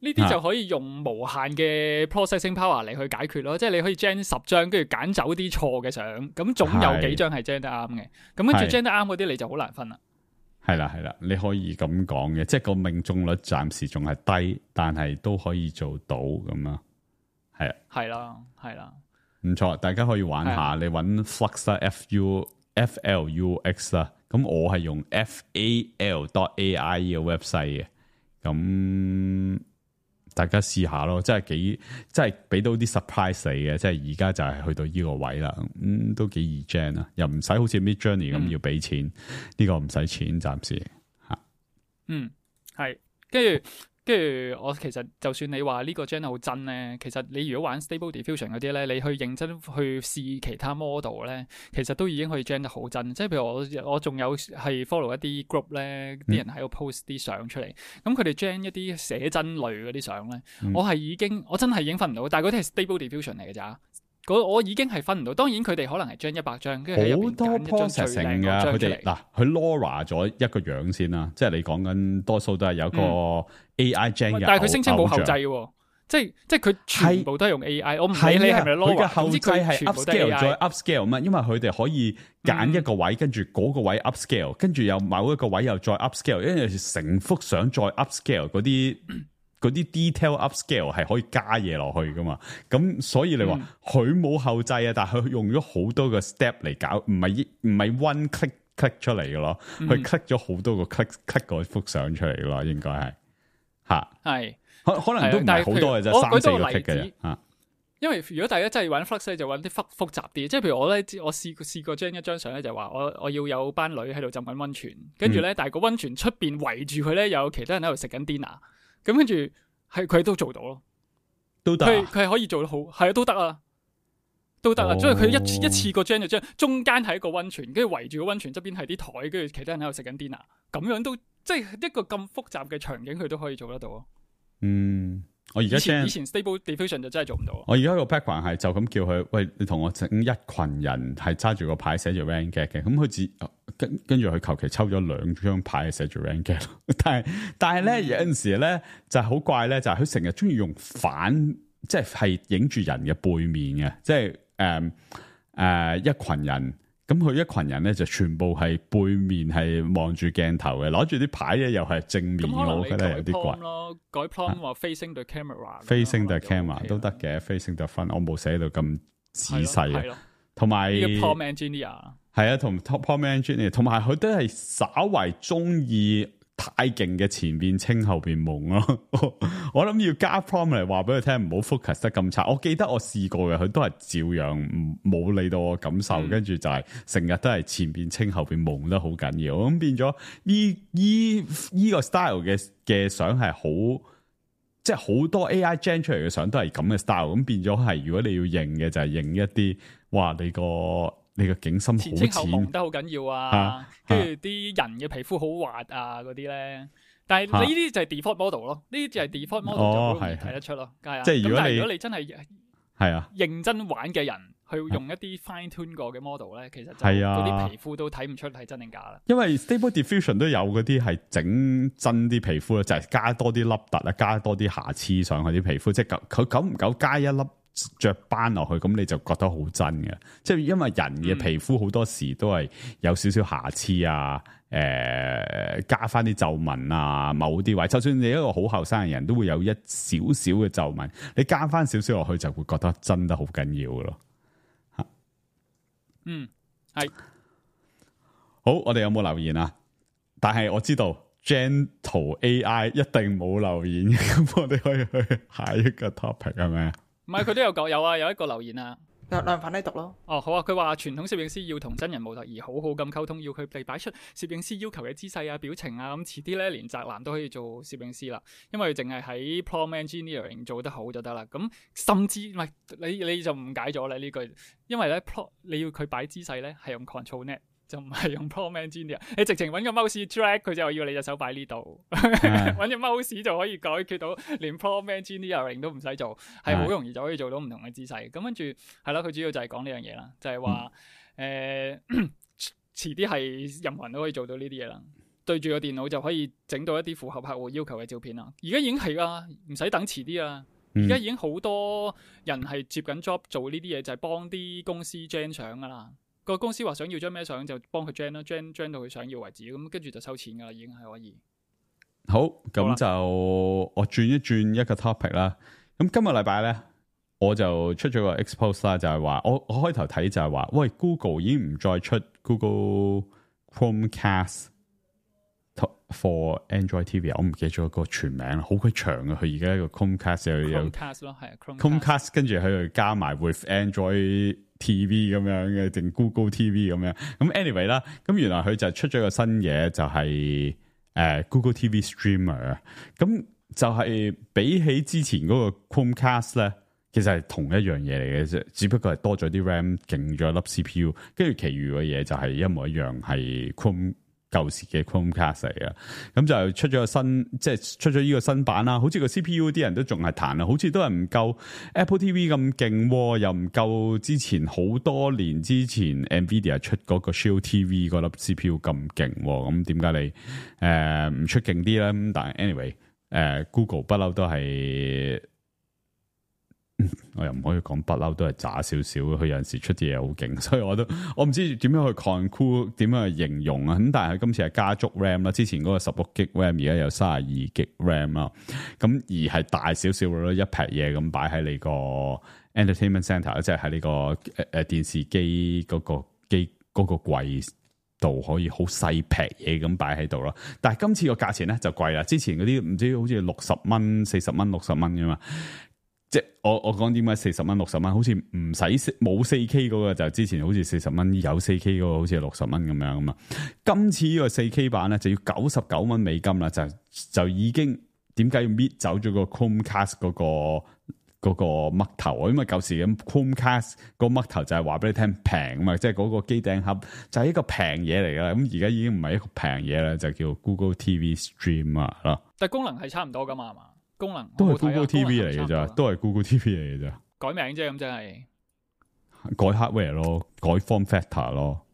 呢啲就可以用無限嘅 processing power 嚟去解決咯，即係你可以 gen 十張，跟住揀走啲錯嘅相，咁總有幾張係 gen 得啱嘅。咁跟住 gen 得啱嗰啲，你就好難分啦。係啦係啦，你可以咁講嘅，即係個命中率暫時仲係低，但係都可以做到咁啊。係啊，係啦，係啦。唔錯，大家可以玩下，你揾 Flux 啦 ，F U F L U X 啦，咁我係用 F A L dot A I 呢個 website 嘅，咁大家試下咯，真係幾，真係俾到啲 surprise 你嘅，即係而家就係去到呢個位啦，咁、嗯、都幾易 gen 啊，又唔使好似 Midjourney 咁要俾錢，呢、嗯、個唔使錢暫時吓。嗯，係，跟住。跟住我其實就算你話呢個 gen 好真咧，其實你如果玩 Stable Diffusion 嗰啲咧，你去認真去試其他 model 咧，其實都已經可以 gen 得好真。即係譬如我我仲有係 follow 一啲 group 咧，啲人喺度 post 啲相出嚟，咁佢哋 gen 一啲寫真類嗰啲相咧，嗯、我係已經我真係已經分唔到，但係嗰啲係 Stable Diffusion 嚟嘅咋。我已經係分唔到，當然佢哋可能係將一百張，跟住喺入邊揀一張最靚嗰張出嚟。嗱，佢 Laura 咗一個樣先啦，即係你講緊多數都係有個 A I gen 嘅、嗯，但係佢聲稱冇後製喎，即係即係佢全部都係用 A I。我唔理你係咪 Laura，佢嘅後製係 upscale 再 upscale 嘛，因為佢哋可以揀一個位，跟住嗰個位 upscale，跟住有某一個位又再 upscale，因為成幅相再 upscale 嗰啲。嗰啲 detail upscale 係可以加嘢落去噶嘛，咁所以你話佢冇後製啊，但係佢用咗好多個 step 嚟搞，唔係唔係 one click click 出嚟嘅咯，佢 click 咗好多個 click click 嗰幅相出嚟嘅咯，應該係嚇，係可可能都唔係好多嘅啫，三四個 click 嘅嚇。因為如果大家真係玩 Flux 咧，就玩啲複複雜啲，即係譬如我咧，我試試過將一張相咧，就話我我要有班女喺度浸緊溫泉，跟住咧，但係個溫泉出邊圍住佢咧，有其他人喺度食緊 dinner。咁跟住係佢都做到咯，都得、啊。佢佢係可以做得好，係啊，都得啊，都得啊。因為佢一一次過 gen 就將中間係一個溫泉，跟住圍住個溫泉側邊係啲台，跟住其他人喺度食緊 dinner，咁樣都即係一個咁複雜嘅場景，佢都可以做得到咯。嗯，我而家以前以前 Stable Diffusion 就真係做唔到。我而家個 background 係就咁叫佢，喂，你同我整一群人係揸住個牌寫住 rank get 嘅，咁佢自跟跟住佢求其抽咗兩張牌寫住 rank get，但係但係咧、嗯、有陣時咧就係、是、好怪咧，就係佢成日中意用反，即係係影住人嘅背面嘅，即係誒誒一群人。咁佢一群人咧就全部係背面係望住鏡頭嘅，攞住啲牌咧又係正面，我覺得有啲怪咯。改 prompt 話 facing the camera，facing the camera 都得嘅，facing the front 我冇寫到咁仔細啊。同埋 prompt engineer 係啊，同 top prompt engineer， 同埋佢都係稍為中意太勁嘅前邊清後邊蒙咯。我諗要加 prompt 嚟話俾佢聽，唔好 focus 得咁差。我記得我試過嘅，佢都係照樣冇理到我感受，跟住、嗯、就係成日都係前邊清後邊蒙得好緊要。咁變咗呢依依個 style 嘅嘅相係好，即係好多 A I gen 出嚟嘅相都係咁嘅 style。咁變咗係，如果你要認嘅就係認一啲，哇你個。你個景深好淺，前清後蒙得好緊要啊，跟住啲人嘅皮膚好滑啊嗰啲咧，但係你呢啲就係 default model 咯，呢啲就係 default model 就好容易睇得出咯，係啊。即係如果你如果你真係係啊認真玩嘅人去用一啲 fine tune 過嘅 model 咧，其實就嗰啲皮膚都睇唔出係真定假啦。因為 Stable Diffusion 都有嗰啲係整真啲皮膚咧，就係、是、加多啲凹凸啊，加多啲瑕疵上去啲皮膚，即係佢久唔久加一粒雀斑落去，咁你就覺得好真嘅。即係因為人嘅皮膚好多時都係有少少瑕疵啊，誒、呃，加翻啲皺紋啊，某啲位，就算你一個好後生嘅人都會有一少少嘅皺紋，你加翻少少落去就會覺得真得好緊要咯。吓，嗯，係好，我哋有冇留言啊？但係我知道 Gentle A I 一定冇留言，咁我哋可以去下一個 topic 係咪？唔係，佢都有講有啊，有一個留言啊，梁粉你讀咯。哦，好啊，佢話傳統攝影師要同真人模特兒好好咁溝通，要佢哋擺出攝影師要求嘅姿勢啊、表情啊，咁遲啲咧連宅男都可以做攝影師啦，因為淨係喺 prompt engineering 做得好就得啦。咁甚至唔係你你就誤解咗啦呢句，因為咧 pro 你要佢擺姿勢咧係用 control net。就唔係用 prompt engineer，你直情揾個 mouse drag 佢就要你隻手擺呢度，揾隻 mouse 就可以解決到，連 prompt engineering 都唔使做，係好容易就可以做到唔同嘅姿勢。咁跟住係啦，佢主要就係講呢樣嘢啦，就係話誒遲啲係任何人都可以做到呢啲嘢啦，對住個電腦就可以整到一啲符合客戶要求嘅照片啦。而家已經係啊，唔使等遲啲啊，而家已經好多人係接緊 job 做呢啲嘢，就係幫啲公司 gen 相噶啦。個公司話想要張咩相就幫佢 gen 啦 ，gen gen 到佢想要為止，咁跟住就收錢噶啦，已經係可以。好，咁就我轉一轉一個 topic 啦。咁今個禮拜咧，我就出咗個 expose 啦，就係話我我開頭睇就係話，喂 Google 已經唔再出 Google Chromecast for Android T V， 我唔記得咗個全名，好鬼長啊！佢而家一個 Chromecast 又有 Chromecast 咯，係啊 Chromecast， 跟住喺度加埋 with Android T V 咁樣嘅，定 Google T V 咁樣。咁 anyway 啦，咁原來佢就出咗個新嘢，就係、是、誒、呃、Google T V Streamer。咁就係比起之前嗰個 Chromecast 咧，其實係同一樣嘢嚟嘅啫，只不過係多咗啲 RAM， 勁咗粒 C P U， 跟住其餘嘅嘢就係一模一樣，係 Chrome。舊時嘅 Chromecast 嚟嘅，咁就出咗個新，即係出咗呢個新版啦。好似個 C P U 啲人都仲係彈啊，好似都係唔夠 Apple T V 咁勁，又唔夠之前好多年之前 Nvidia 出嗰個 Shield T V 嗰粒 C P U 咁勁。咁點解你誒唔、呃、出勁啲咧？咁但係 anyway，誒、呃、Google 不嬲都係。我又唔可以講不嬲都係渣少少，佢有陣時出啲嘢好勁，所以我都我唔知點樣去 conclude， 點樣去形容啊。咁但係佢今次係加足 RAM 啦，之前嗰個十六 G RAM 而家有三十二 G RAM 啦，咁而係大少少咯，一劈嘢咁擺喺你個 entertainment center， 即係喺呢個誒誒電視機嗰個機嗰個櫃度可以好細劈嘢咁擺喺度咯。但係今次個價錢咧就貴啦，之前嗰啲唔知好似六十蚊、四十蚊、六十蚊噶嘛。即係我我講點解四十蚊六十蚊，好似唔使冇四 K 嗰個就之前好似四十蚊，有四 K 嗰個好似六十蚊咁樣啊嘛。今次呢個四 K 版咧就要九十九蚊美金啦，就就已經點解要搣走咗個 Chromecast 嗰個嗰個嘜頭？因為舊時咁 Chromecast 個嘜頭就係話俾你聽平啊嘛，即係嗰個機頂盒就係一個平嘢嚟噶。咁而家已經唔係一個平嘢啦，就叫 Google T V Streamer 啦。但係功能係差唔多噶嘛，係嘛？功能都係 Google T V 嚟嘅咋，都係 Google T V 嚟嘅咋，改名啫，咁即係改 hardware 咯，改 form factor 咯，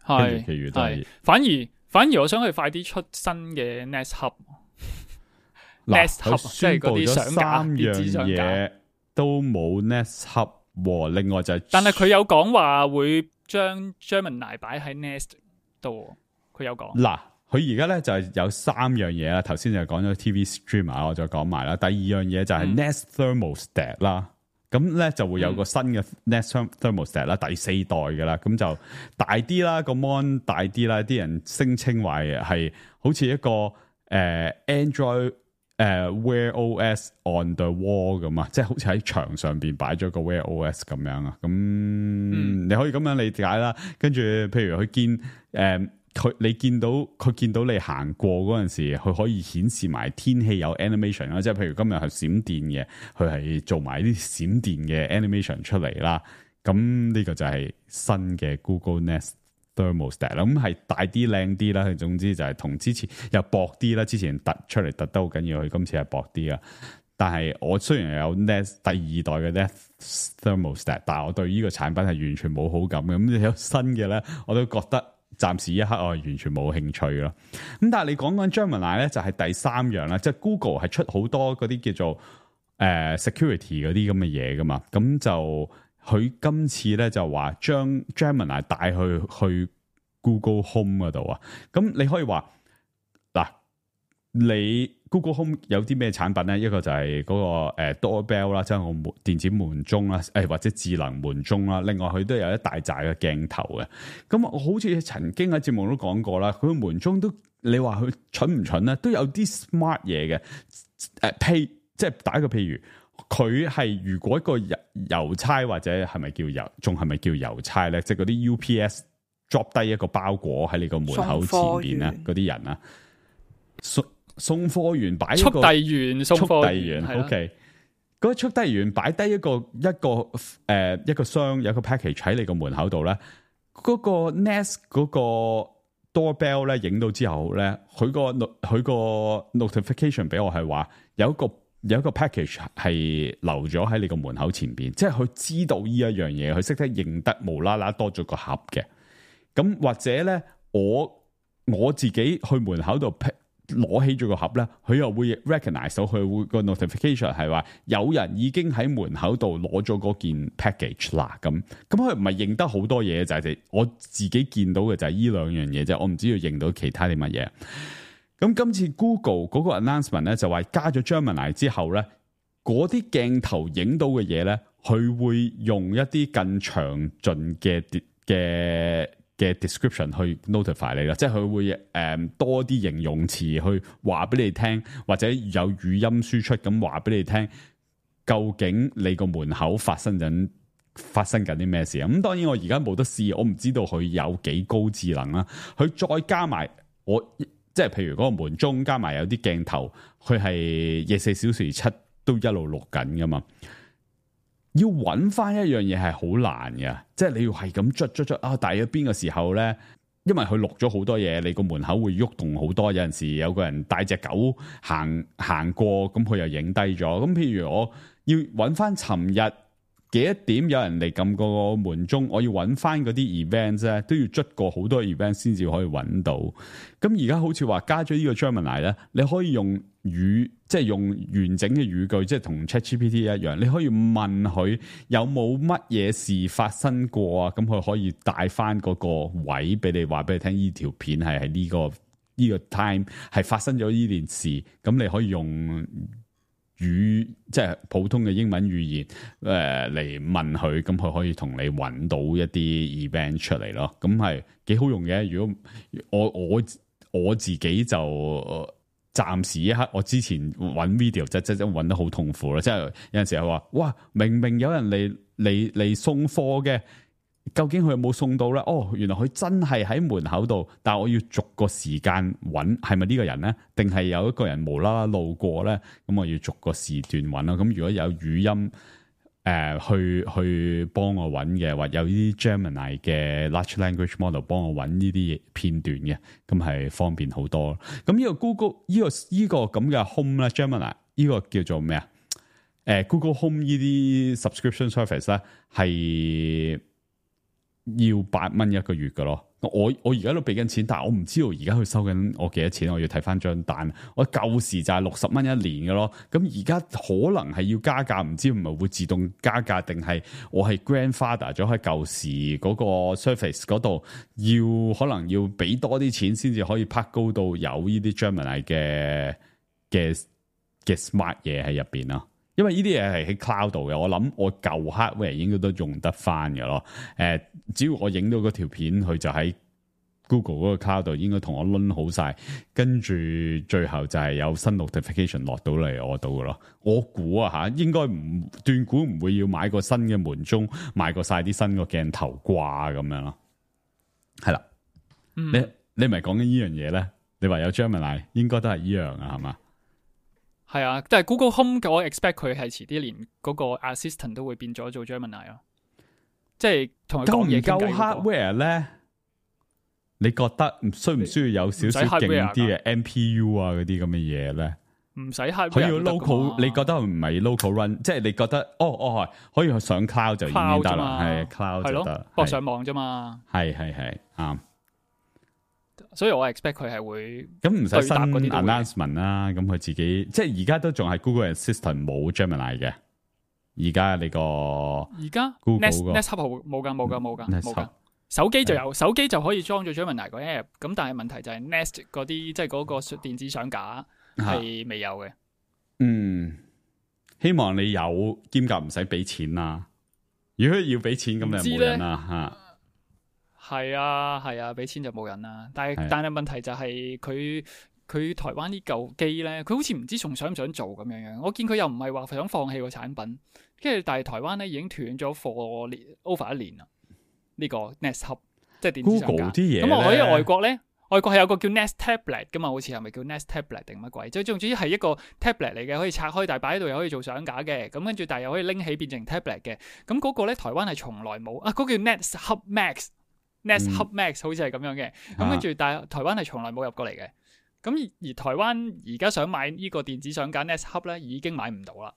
係，其餘都係。反而反而我想佢快啲出新嘅 Nest Hub。Nest Hub 即係嗰啲相架電子相架都冇 Nest Hub， 另外就係、是，但係佢有講話會將 Gemini 擺喺 Nest 度，佢有講。嗱。佢而家咧就係有三樣嘢啦，頭先就講咗 T V Streamer， 我再講埋啦。第二樣嘢就係 Nest Thermostat 啦，咁咧就會有個新嘅 Nest Thermostat 啦，第四代嘅啦，咁就大啲啦，個 mon 大啲啦，啲人聲稱話係好似一個誒、呃、Android 誒、呃、Wear O S on the wall 咁啊，即係好似喺牆上邊擺咗個 Wear O S 咁樣啊，咁、嗯、你可以咁樣理解啦。跟住譬如佢見誒佢你見到佢見到你行過嗰陣時，佢可以顯示埋天氣有 animation 啦，即係譬如今日係閃電嘅，佢係做埋啲閃電嘅 animation 出嚟啦。咁呢個就係新嘅 Google Nest Thermostat 啦，咁係大啲靚啲啦。佢總之就係同之前又薄啲啦，之前突出嚟突得好緊要，佢今次係薄啲啊。但係我雖然有 Nest 第二代嘅 Nest Thermostat， 但係我對呢個產品係完全冇好感嘅。咁有新嘅咧，我都覺得暫時一刻我係完全冇興趣咯。咁但係你講緊 Gemini 咧，就係第三樣啦，即係 Google 係出好多嗰啲叫做誒、呃、security 嗰啲咁嘅嘢噶嘛，咁就。佢今次咧就話將 Gemini 帶去去 Google Home 嗰度啊，咁你可以話嗱，你 Google Home 有啲咩產品咧？一個就係嗰、那個誒、呃、Doorbell 啦，即係我門電子門鐘啦，誒、哎、或者智能門鐘啦。另外佢都有一大紮嘅鏡頭嘅。咁我好似曾經喺節目都講過啦，佢個門鐘都你話佢蠢唔蠢咧？都有啲 smart 嘢嘅。誒、呃，譬即係打一個譬如。佢係如果一個郵郵差或者係咪叫郵，仲係咪叫郵差咧？即係嗰啲 U P S drop 低一個包裹喺你個門口前邊咧，嗰啲人啊，送送貨員擺一個速遞員，送貨遞員 ，OK，嗰個速遞員擺低一個一個誒、呃、一個箱，有一個 package 喺你個門口度咧，嗰、嗰個 Nest 嗰個 doorbell 咧影到之後咧，佢個佢個 notification 俾我係話有一個。有一個 package 係留咗喺你個門口前邊，即係佢知道呢一樣嘢，佢識得認得無啦啦多咗個盒嘅。咁或者咧，我我自己去門口度攞起咗個盒咧，佢又會 recognize 到佢會個 notification 係話有人已經喺門口度攞咗嗰件 package 啦。咁咁佢唔係認得好多嘢，就係、是、我自己見到嘅就係呢兩樣嘢啫。我唔知要認到其他啲乜嘢。咁今次 Google 嗰個 announcement 咧就話加咗 Gemini 之後咧，嗰啲鏡頭影到嘅嘢咧，佢會用一啲更詳盡嘅嘅嘅 description 去 notify 你啦，即係佢會誒、嗯、多啲形容詞去話俾你聽，或者有語音輸出咁話俾你聽，究竟你個門口發生緊發生緊啲咩事啊？咁當然我而家冇得試，我唔知道佢有幾高智能啦。佢再加埋我。即係譬如嗰個門鐘加埋有啲鏡頭，佢係廿四小時七都一路錄緊噶嘛。要揾翻一樣嘢係好難嘅，即係你要係咁捽捽捽啊！大約邊個時候咧？因為佢錄咗好多嘢，你個門口會喐動好多。有陣時有個人帶隻狗行行過，咁佢又影低咗。咁譬如我要揾翻尋日幾多點有人嚟撳個門鐘，我要揾翻嗰啲 events 咧，都要捽過好多 event 先至可以揾到。咁而家好似話加咗呢個 Gemini 咧，你可以用語，即係用完整嘅語句，即係同 ChatGPT 一樣，你可以問佢有冇乜嘢事發生過啊？咁佢可以帶翻嗰個位俾你，話俾你聽，呢條片係喺呢個呢個 time 係發生咗呢件事。咁你可以用語即係普通嘅英文語言誒嚟、呃、問佢，咁佢可以同你揾到一啲 event 出嚟咯。咁係幾好用嘅。如果我我我自己就暫時一刻，我之前揾 video 即即即揾得好痛苦啦。即係有陣時係話，哇，明明有人嚟嚟嚟送貨嘅。究竟佢有冇送到咧？哦，原來佢真係喺門口度，但係我要逐個時間揾，係咪呢個人咧？定係有一個人無啦啦路過咧？咁我要逐個時段揾啦。咁如果有語音誒、呃、去去幫我揾嘅，或有啲 Gemini 嘅 Large Language Model 幫我揾呢啲片段嘅，咁係方便好多。咁呢個 Google 呢、這個呢、這個咁嘅 Home 咧 Gemini 呢個叫做咩啊？誒、呃、Google Home 呢啲 subscription service 咧係。要八蚊一個月噶咯，我我而家都俾緊錢，但係我唔知道而家佢收緊我幾多錢，我要睇翻張單。我舊時就係六十蚊一年噶咯，咁而家可能係要加價，唔知唔係會自動加價，定係我係 grandfather 咗喺舊時嗰個 Surface 嗰度，要可能要俾多啲錢先至可以拍高到有呢啲 Gemini 嘅嘅嘅 smart 嘢喺入邊咯。因為呢啲嘢係喺 cloud 度嘅，我諗我舊 hardware 應該都用得翻嘅咯。誒、呃，只要我影到嗰條片，佢就喺 Google 嗰個 cloud 度，應該同我攆好晒，跟住最後就係有新 notification 落到嚟我度嘅咯。我估啊吓，應該唔斷估唔會要買個新嘅門鐘，買過晒啲新個鏡頭掛咁樣咯。係啦、嗯，你你咪講緊呢樣嘢咧？你話有 Gemini， 應該都係依樣啊，係嘛？係啊，但係 Google Home 我 expect 佢係遲啲連嗰個 assistant 都會變咗做 Gemini 咯，即係同佢講嘢傾偈。夠唔夠 hardware 咧？你覺得需唔需要有少少勁啲嘅 M P U 啊嗰啲咁嘅嘢咧？唔使 hardware，可以 local， 你覺得唔係 local run， 即係你覺得哦哦可以上 cloud 就已經得啦，係 cloud 就得，播上網啫嘛。係係係啱。所以我 expect 佢係會咁唔使新 announcement 啦，咁佢自己即係而家都仲係 Google Assistant 冇 Gemini 嘅。而家你個而家 Google Nest Hub 冇噶冇噶冇噶冇噶，手機就有，手機就可以裝咗 Gemini 個 app。咁但係問題就係 Nest 嗰啲即係嗰個電子相架係未有嘅。嗯，希望你有兼夾唔使俾錢啦。如果要俾錢咁就冇人啦吓。係啊係啊，俾錢就冇人啦。但係但係問題就係佢佢台灣呢嚿機咧，佢好似唔知仲想唔想做咁樣樣。我見佢又唔係話想放棄個產品，跟住但係台灣咧已經斷咗貨 over 一年啦。呢、這個 Nest Hub 即係電子相架。Google 啲嘢咁我喺外國咧，外國係有個叫 Nest Tablet 噶嘛，好似係咪叫 Nest Tablet 定乜鬼？即係總之係一個 tablet 嚟嘅，可以拆開，但係擺喺度又可以做相架嘅。咁跟住但係又可以拎起變成 tablet 嘅。咁嗰個咧台灣係從來冇啊，嗰、那個、叫 Nest Hub Max。Nest Hub Max 好似係咁樣嘅，咁跟住但係台灣係從來冇入過嚟嘅，咁而，而台灣而家想買呢個電子相架 Nest Hub 咧，已經買唔到啦。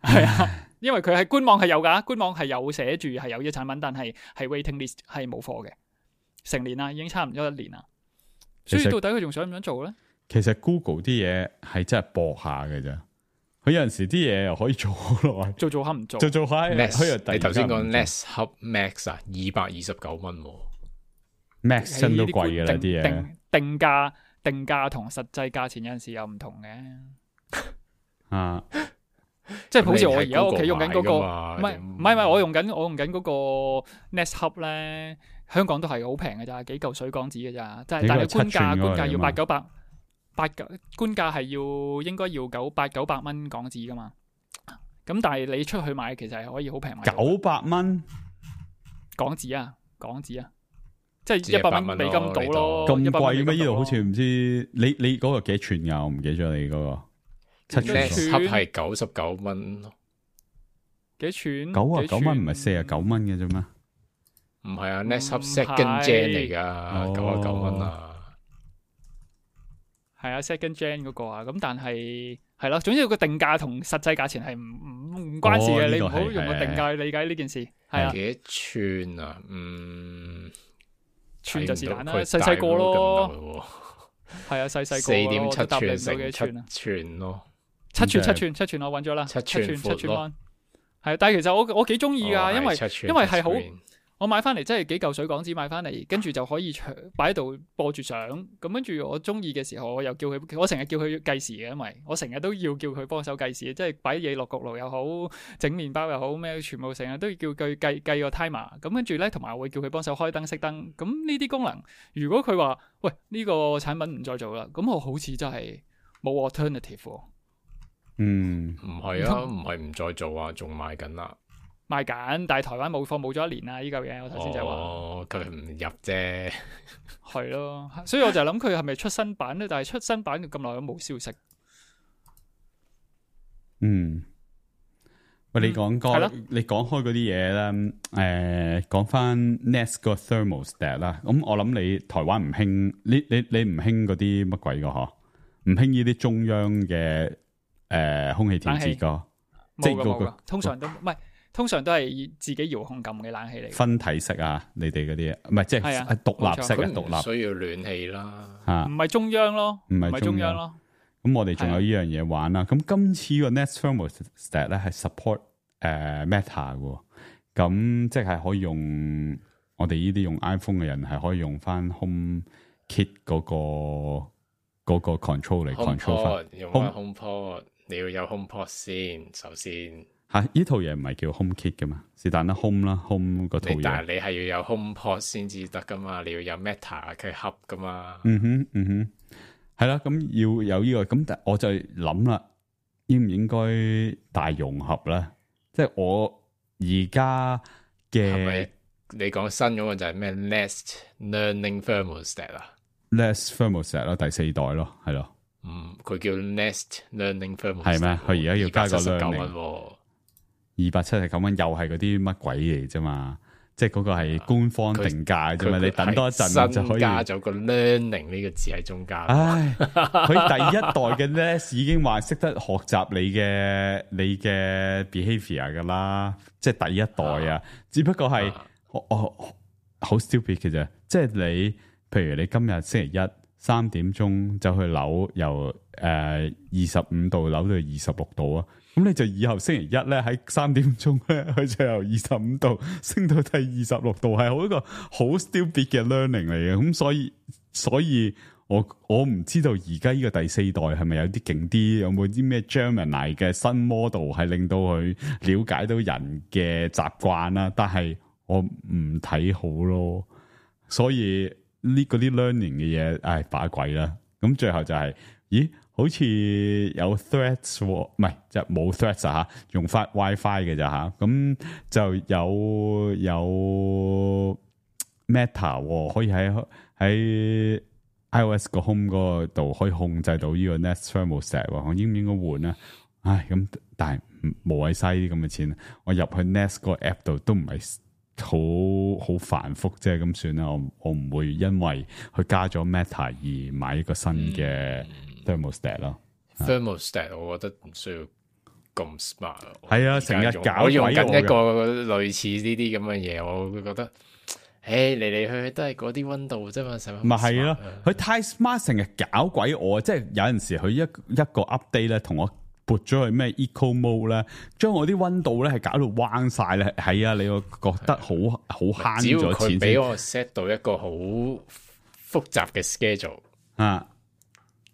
係啊，因為佢係官網係有噶，官網係有寫住係有呢個產品，但係係 waiting list 係冇貨嘅，成年啦，已經差唔多一年啦。所以到底佢仲想唔想做咧？其實 Google 啲嘢係真係搏下嘅啫。佢有陣時啲嘢又可以做好耐，做做下唔做，做做下。Nest，你頭先講 Nest Hub Max 啊，二百二十九蚊，Max 真都貴嘅啦啲嘢。定定價定價同實際價錢有陣時有唔同嘅。啊，即係好似我而家屋企用緊嗰個，唔係唔係唔係，我用緊我用緊嗰個 Nest Hub 咧，香港都係好平嘅咋，幾嚿水港紙嘅咋，即係但係官價官價要八九百。八九官價係要應該要九八九百蚊港紙噶嘛，咁但係你出去買其實係可以好平買九百蚊港紙啊，港紙啊，即係一百蚊美金到咯。咁貴咩？呢度好似唔知你你嗰個幾寸㗎？我唔記得咗你嗰個七寸盒係九十九蚊咯，幾寸？九啊九蚊唔係四啊九蚊嘅啫咩？唔係啊 ，Nest Hub Second Gen 嚟㗎，九啊九蚊啊。係啊 ，second gen 嗰個啊，咁但係係咯，總之個定價同實際價錢係唔唔唔關事嘅，哦，你唔好用個定價去理解呢件事。係啊，幾寸啊？嗯，寸就是但啦，細細個咯。係啊，細細個四點七寸成七寸咯，七寸七寸七寸我揾咗啦，七寸七寸咯。係，但係其實我我幾中意噶，因為因為係好。我買翻嚟真係幾嚿水港紙買翻嚟，跟住就可以擺喺度播住相。咁跟住我中意嘅時候，我又叫佢，我成日叫佢計時嘅，因為我成日都要叫佢幫手計時，即係擺嘢落焗爐又好，整麵包又好，咩全部成日都要叫佢計計個 timer。咁跟住咧，同埋我會叫佢幫手開燈熄燈。咁呢啲功能，如果佢話喂呢個產品唔再做啦，咁我好似真係冇 alternative。嗯，唔係啊，唔係唔再做啊，仲賣緊啦。賣緊，但係台灣冇貨冇咗一年啦，呢嚿嘢我頭先就話。哦，佢唔入啫。係咯，所以我就諗佢係咪出新版咧？但係出新版咁耐都冇消息。嗯，喂，你講講、嗯，你講開嗰啲嘢咧，誒、呃，講翻 Nest 個 thermostat 啦。咁我諗你台灣唔興，你你你唔興嗰啲乜鬼噶嗬？唔興呢啲中央嘅誒、呃、空氣調節噶，即係嗰個通常都唔係。通常都係自己遙控撳嘅冷氣嚟，分體式啊！你哋嗰啲唔係即係獨立式嘅獨立，需要暖氣啦，吓唔係中央咯，唔係中央咯。咁我哋仲有呢樣嘢玩啦。咁今次個 Nest Thermostat 咧係 support 誒、呃、Meta 嘅，咁即係可以用我哋呢啲用 iPhone 嘅人係可以用翻 HomeKit 嗰、嗰個嗰、嗰個 control 嚟 control 翻，用翻 HomePod。你要有 HomePod 先，首先吓呢套嘢唔係叫 HomeKit 噶嘛，是但啦 Home 啦 Home 嗰套嘢，但係你係要有 HomePod 先至得噶嘛，你要有 Meta 嘅盒噶嘛。嗯哼嗯哼，係啦，咁要有呢、這個，咁但我就諗啦，應唔應該大融合咧？即係我而家嘅，你講新嗰個就係咩 Nest Learning Thermostat 啊 Nest Thermostat 咯，第四代咯，係咯。嗯，佢叫 Nest Learning Thermostat 係咩？佢而家要加個 learning，二百七十九蚊，又係嗰啲乜鬼嚟啫嘛？即係嗰個係官方定價啫嘛？你等多一陣就可以加咗個 learning 呢個字喺中間。唉，佢第一代嘅 Nest 已經話識得學習你嘅你嘅 behavior 噶啦，即係第一代啊。只不過係我我好 stupid 嘅啫，即係你，譬如你今日星期一。三點鐘走去扭，由誒二十五度扭到二十六度啊！咁你就以後星期一咧喺三點鐘咧，佢就由二十五度升到第二十六度，係好一個好 stupid 嘅 learning 嚟嘅。咁所以所以我我唔知道而家呢個第四代係咪有啲勁啲，有冇啲咩 Gemini 嘅新 model 係令到佢了解到人嘅習慣啦？但係我唔睇好咯，所以。呢嗰啲 learning 嘅嘢，唉把鬼啦！咁最後就係、是，咦？好似有 threads，唔係就冇 threads 啊吓，用翻 WiFi 嘅咋吓？咁就有有 Meta 可以喺喺 iOS 個 home 嗰度可以控制到呢個 Nest Thermostat，我應唔應該換啊？唉，咁但係無謂嘥啲咁嘅錢，我入去 Nest 個 app 度都唔係。好好繁複啫，咁算啦。我我唔會因為佢加咗 Meta 而買一個新嘅 thermostat 咯。嗯、thermostat 我覺得唔需要咁 smart。係啊，成日搞我用緊一個類似呢啲咁嘅嘢，我會覺得，誒嚟嚟去去都係嗰啲溫度啫嘛，使乜？咪係咯，佢太 smart， 成日搞鬼我，即係有陣時佢一一個 update 咧，同我。撥咗去咩 eco mode 咧，將我啲溫度咧係搞到彎晒咧，係啊，你會覺得好好慳咗錢。只要佢俾我 set 到一個好複雜嘅 schedule 啊，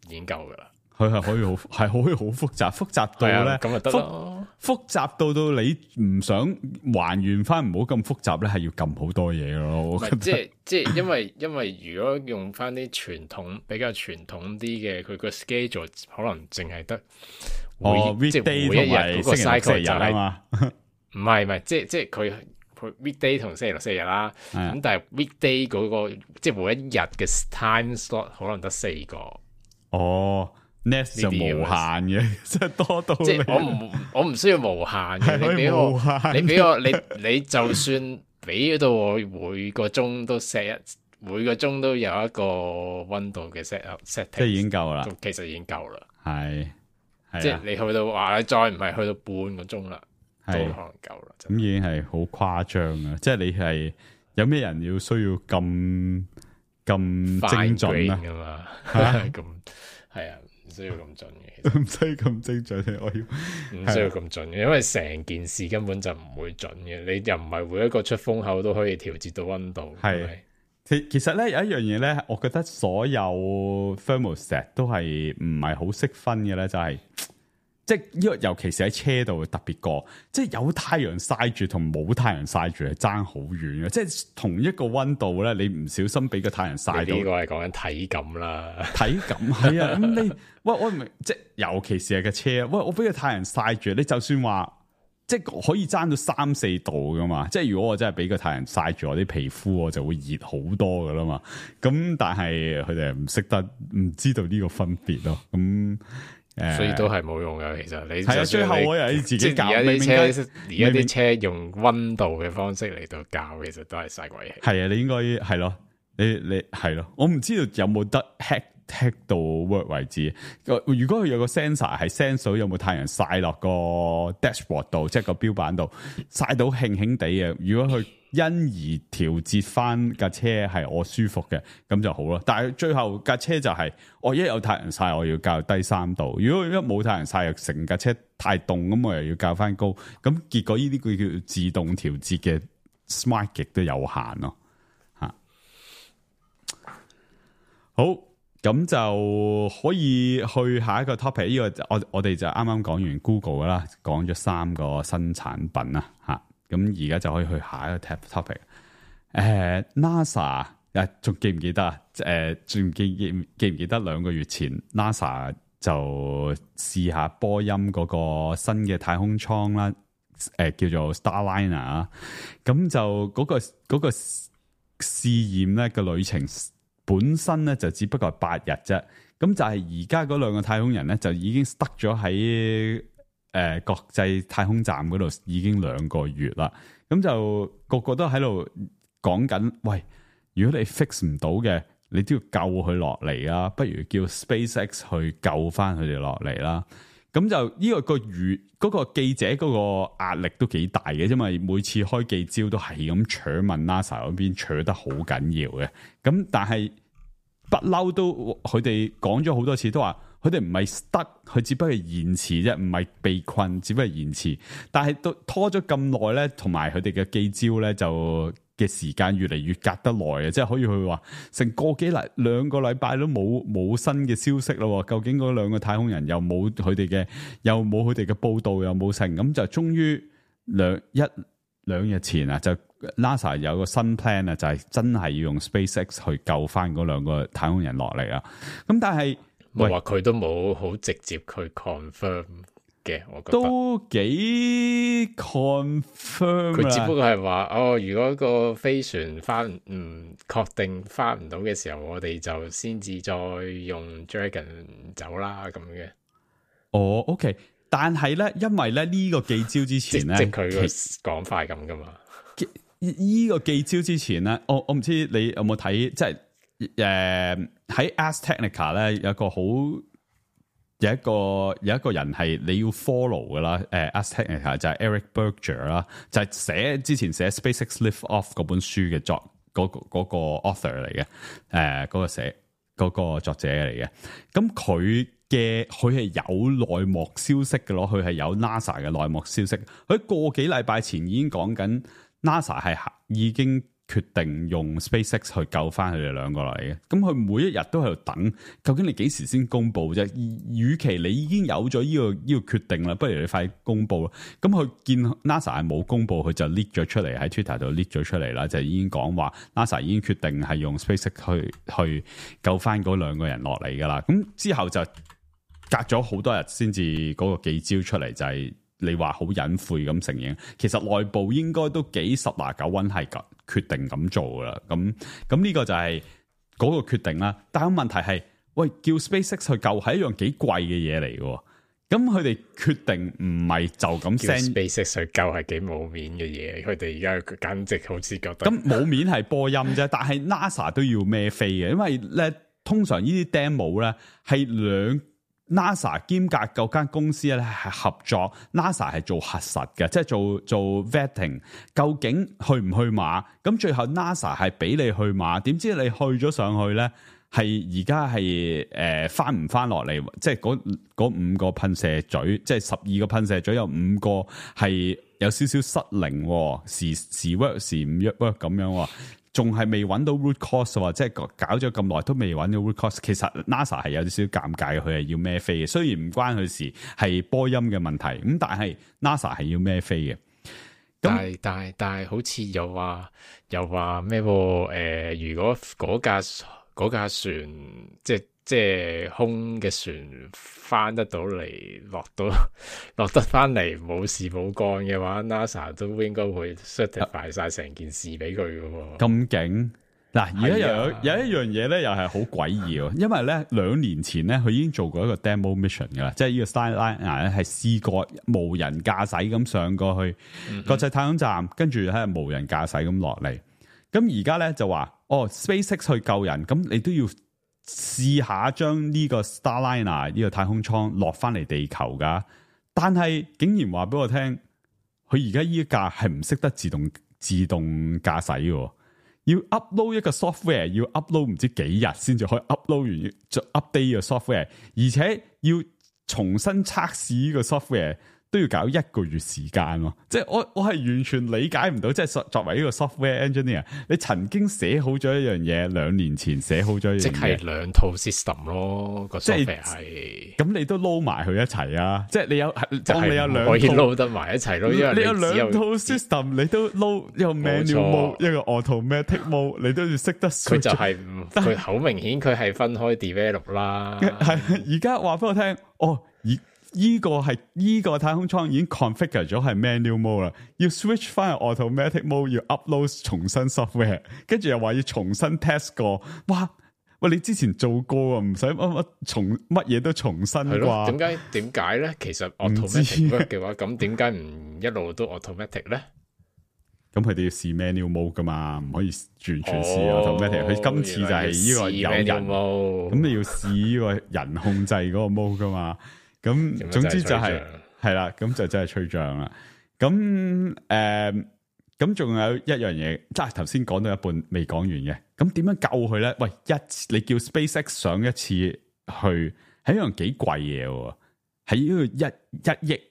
已經夠噶啦。佢係可以好係可以好複雜，複雜到咧咁就得咯。複雜到到你唔想還原翻，唔好咁複雜咧，係要撳好多嘢咯。即係即係，因為因為如果用翻啲傳統比較傳統啲嘅，佢個 schedule 可能淨係得。哦 weekday 同埋星期六星期日啊嘛，唔係唔係，即係即係佢佢 weekday 同星期六星期日啦。咁但係 weekday 嗰個即係每一日嘅 time slot 可能得四個。哦 ，Nest 就無限嘅，即係多到即係我唔我唔需要無限嘅，你俾我你俾我你你就算俾到我每個鐘都 set 一每個鐘都有一個溫度嘅 set set，即係已經夠啦。其實已經夠啦，係。即係你去到話，你再唔係去到半個鐘啦，都可能夠啦。咁已經係好誇張啊！即係你係有咩人要需要咁咁精準啊？嘛咁係啊，唔需要咁準嘅，唔需要咁精準。我要唔需要咁準嘅，因為成件事根本就唔會準嘅。你又唔係每一個出風口都可以調節到溫度。係其其實咧有一樣嘢咧，我覺得所有 thermostat 都係唔係好識分嘅咧，就係、是。即係呢個，尤其是喺車度特別過，即係有太陽曬住同冇太陽曬住係爭好遠嘅。即係同一個溫度咧，你唔小心俾個太陽曬到，呢個係講緊體感啦。體感係啊，咁你喂我唔明，即係尤其是係個車，喂我俾個太陽曬住，你就算話即係可以爭到三四度噶嘛。即係如果我真係俾個太陽曬住我啲皮膚，我就會熱好多噶啦嘛。咁但係佢哋唔識得，唔知道呢個分別咯。咁。所以都係冇用噶，其實你係啊，最後我又要自己教。而家啲車，而家啲車用溫度嘅方式嚟到教，其實都係嘥鬼氣。係啊，你應該係咯，你你係咯，我唔知道有冇得 hack hack 到 work 為止。如果佢有個 sensor 係 sense 到有冇太陽曬落個 dashboard 度，即係個標板度曬到興興地嘅，如果佢因而調節翻架車係我舒服嘅，咁就好啦。但係最後架車就係、是、我一有太陽曬，我要校低三度；如果一冇太陽曬，又成架車太凍，咁我又要校翻高。咁結果呢啲佢叫自動調節嘅 smart 極都有限咯。吓，好咁就可以去下一個 topic。呢、這個我我哋就啱啱講完 Google 啦，講咗三個新產品啦吓。咁而家就可以去下一個 topic。誒、呃、NASA 誒仲記唔記得啊？誒、呃、仲記記記唔記得兩個月前 NASA 就試下波音嗰個新嘅太空艙啦，誒、呃、叫做 Starliner 啊。咁就嗰、那個嗰、那個試驗咧嘅旅程本身咧就只不過係八日啫。咁就係而家嗰兩個太空人咧就已經 stuck 咗喺誒國際太空站嗰度已經兩個月啦。咁就個個都喺度講緊，喂，如果你 fix 唔到嘅，你都要救佢落嚟啊，不如叫 SpaceX 去救翻佢哋落嚟啦。咁就呢、這個個語嗰個記者嗰個壓力都幾大嘅，因為每次開記招都係咁扯問 NASA 嗰邊扯得好緊要嘅。咁但係不嬲都佢哋講咗好多次，都話佢哋唔係 stuck，佢只不過係延遲啫，唔係被困，只不過係延遲。但係都拖咗咁耐咧，同埋佢哋嘅記招咧就嘅時間越嚟越隔得耐啊！即係可以去話成個幾禮兩個禮拜都冇冇新嘅消息咯。究竟嗰兩個太空人又冇佢哋嘅，又冇佢哋嘅報道，又冇成，咁就終於兩一兩日前啊，就 NASA 有個新 plan 啊，就係真係要用 SpaceX 去救翻嗰兩個太空人落嚟啊！咁但係我話佢都冇好直接去 confirm 嘅，我覺得都幾 confirm。佢只不過係話哦，如果個飛船翻唔確定翻唔到嘅時候，我哋就先至再用 Dragon 走啦咁嘅。哦 ，OK， 但係咧，因為咧呢、這個記招之前咧，即係佢個講法咁噶嘛。呢、這個記招之前咧，我我唔知你有冇睇，即係誒喺 Ars Technica 咧有一個好。有一個有一個人係你要 follow 噶啦，誒、呃、Ars Technica 就係 Eric Berger 啦，就係寫之前寫 SpaceX Lift Off 嗰本書嘅作嗰、嗰個嗰個 author 嚟嘅，誒、呃、嗰、嗰個寫嗰、嗰個作者嚟嘅。咁佢嘅佢係有內幕消息嘅咯，佢係有 NASA 嘅內幕消息。佢個幾禮拜前已經講緊 NASA 係已經決定用 SpaceX 去救翻佢哋兩個嚟嘅，咁佢每一日都喺度等，究竟你幾時先公布啫？與其你已經有咗呢、這個呢、這個決定啦，不如你快公布啦。咁佢見 NASA 係冇公布，佢就 leak 咗出嚟喺 Twitter 度 leak 咗出嚟啦，就已經講話 NASA 已經決定係用 SpaceX 去去救翻嗰兩個人落嚟噶啦。咁之後就隔咗好多日先至嗰個記招出嚟，就係、是、你話好隱晦咁承認，其實內部應該都幾十拿九穩係噶。決定咁做噶啦，咁咁呢個就係嗰個決定啦。但係問題係，喂，叫 SpaceX 去救係一樣幾貴嘅嘢嚟嘅，咁佢哋決定唔係就咁 send SpaceX 去救係幾冇面嘅嘢，佢哋而家簡直好似覺得咁冇面係波音啫，但係 NASA 都要孭飛嘅，因為咧通常呢啲 demo 咧係兩。NASA 兼隔嗰間公司咧係合作 ，NASA 係做核實嘅，即係做做 vetting， 究竟去唔去馬？咁最後 NASA 係俾你去馬，點知你去咗上去咧，係而家係誒翻唔翻落嚟？即係嗰嗰五個噴射嘴，即係十二個噴射嘴有五個係有少少失靈，時時 work 時唔 work 咁樣。仲係未揾到 root cause 喎，即係搞咗咁耐都未揾到 root cause。其實 NASA 係有少少尷尬嘅，佢係要孭飛嘅。雖然唔關佢事，係波音嘅問題，咁但係 NASA 係要孭飛嘅。但係但係但係好似又話又話咩？誒、呃，如果嗰架嗰架船即係即係空嘅船翻得到嚟，落到落得翻嚟冇事冇幹嘅話 ，NASA 都應該會 certify 晒成件事俾佢嘅。咁勁嗱，而家又有有一樣嘢咧，又係好詭異喎。因為咧兩年前咧，佢已經做過一個 demo mission 噶啦，即係呢個 Starliner 咧係試過無人駕駛咁上過去國際太空站，跟住喺無人駕駛咁落嚟。咁而家咧就話哦 ，SpaceX 去救人，咁你都要。試下將呢個 Starliner 呢個太空艙落翻嚟地球噶，但係竟然話俾我聽，佢而家呢架係唔識得自動自動駕駛嘅，要 upload 一個 software， 要 upload 唔知幾日先至可以 upload 完，再 update 個 software， 而且要重新測試呢個 software，都要搞一個月時間喎，即係我我係完全理解唔到，即係作為呢個 software engineer，你曾經寫好咗一樣嘢，兩年前寫好咗一樣嘢，即係兩套 system 咯，個 software 係，咁你都撈埋佢一齊啊！即係你有，當你有兩套可以撈得埋一齊咯，因為你有兩套 system，你都撈一個 manual mode，一個 automatic mode，你都要識得。佢就係佢好明顯，佢係分開 develop 啦。係而家話俾我聽，哦，而依個係依個太空艙已經 configure 咗係 manual mode 啦，要 switch 翻去 automatic mode，要 upload 重新 software， 跟住又話要重新 test 過，哇！喂，你之前做過啊，唔使乜乜重乜嘢都重新啩？點解點解咧？其實 automatic work 嘅話，咁點解唔一路都 automatic 咧？咁佢哋要試 manual mode 噶嘛，唔可以完全試 automatic。佢今次就係呢個有人，咁你要試呢個人控制嗰個 mode 噶嘛？咁總之就係係啦，咁就真係吹脹啦。咁誒，咁仲有一樣嘢，即係頭先講到一半未講完嘅。咁點樣救佢咧？喂，一你叫 SpaceX 上一次去，係一樣幾貴嘢喎，係呢個一一億，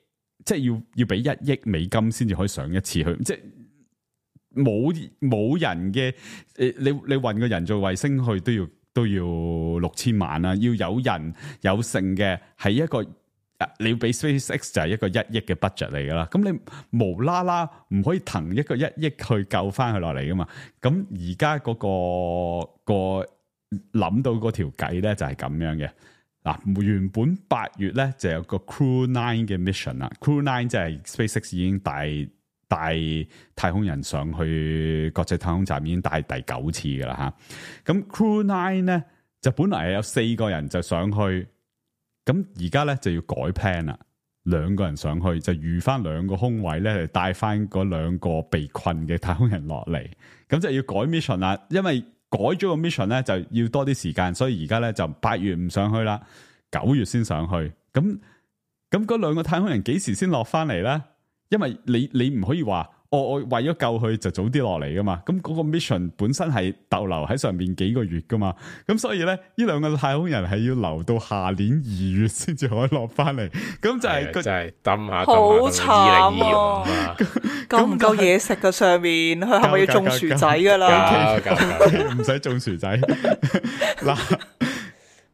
即係要要俾一億美金先至可以上一次去，即係冇冇人嘅誒，你你運個人做衛星去都要都要六千萬啦，要有人有剩嘅係一個。你要俾 SpaceX 就係一個一億嘅 budget 嚟噶啦，咁你無啦啦唔可以騰一個一億去救翻佢落嚟噶嘛？咁而家嗰個個諗到嗰條計咧就係咁樣嘅。嗱，原本八月咧就有個 Crew Nine 嘅 mission 啦 ，Crew Nine 即係 SpaceX 已經帶帶太空人上去國際太空站已經帶第九次噶啦吓。咁 Crew Nine 咧就本來係有四個人就上去。咁而家咧就要改 plan 啦，兩個人上去就預翻兩個空位咧，嚟帶翻嗰兩個被困嘅太空人落嚟。咁就要改 mission 啦，因為改咗個 mission 咧就要多啲時間，所以而家咧就八月唔上去啦，九月先上去。咁咁嗰兩個太空人幾時先落翻嚟咧？因為你你唔可以話。我、哦、我為咗救佢就早啲落嚟噶嘛，咁嗰個 mission 本身係逗留喺上邊幾個月噶嘛，咁所以咧呢兩個太空人係要留到下年二月先至可以落翻嚟，咁就係、是、就係抌下好慘啊！夠唔夠嘢食噶上面？佢係咪要種薯仔噶啦？唔使種薯仔嗱。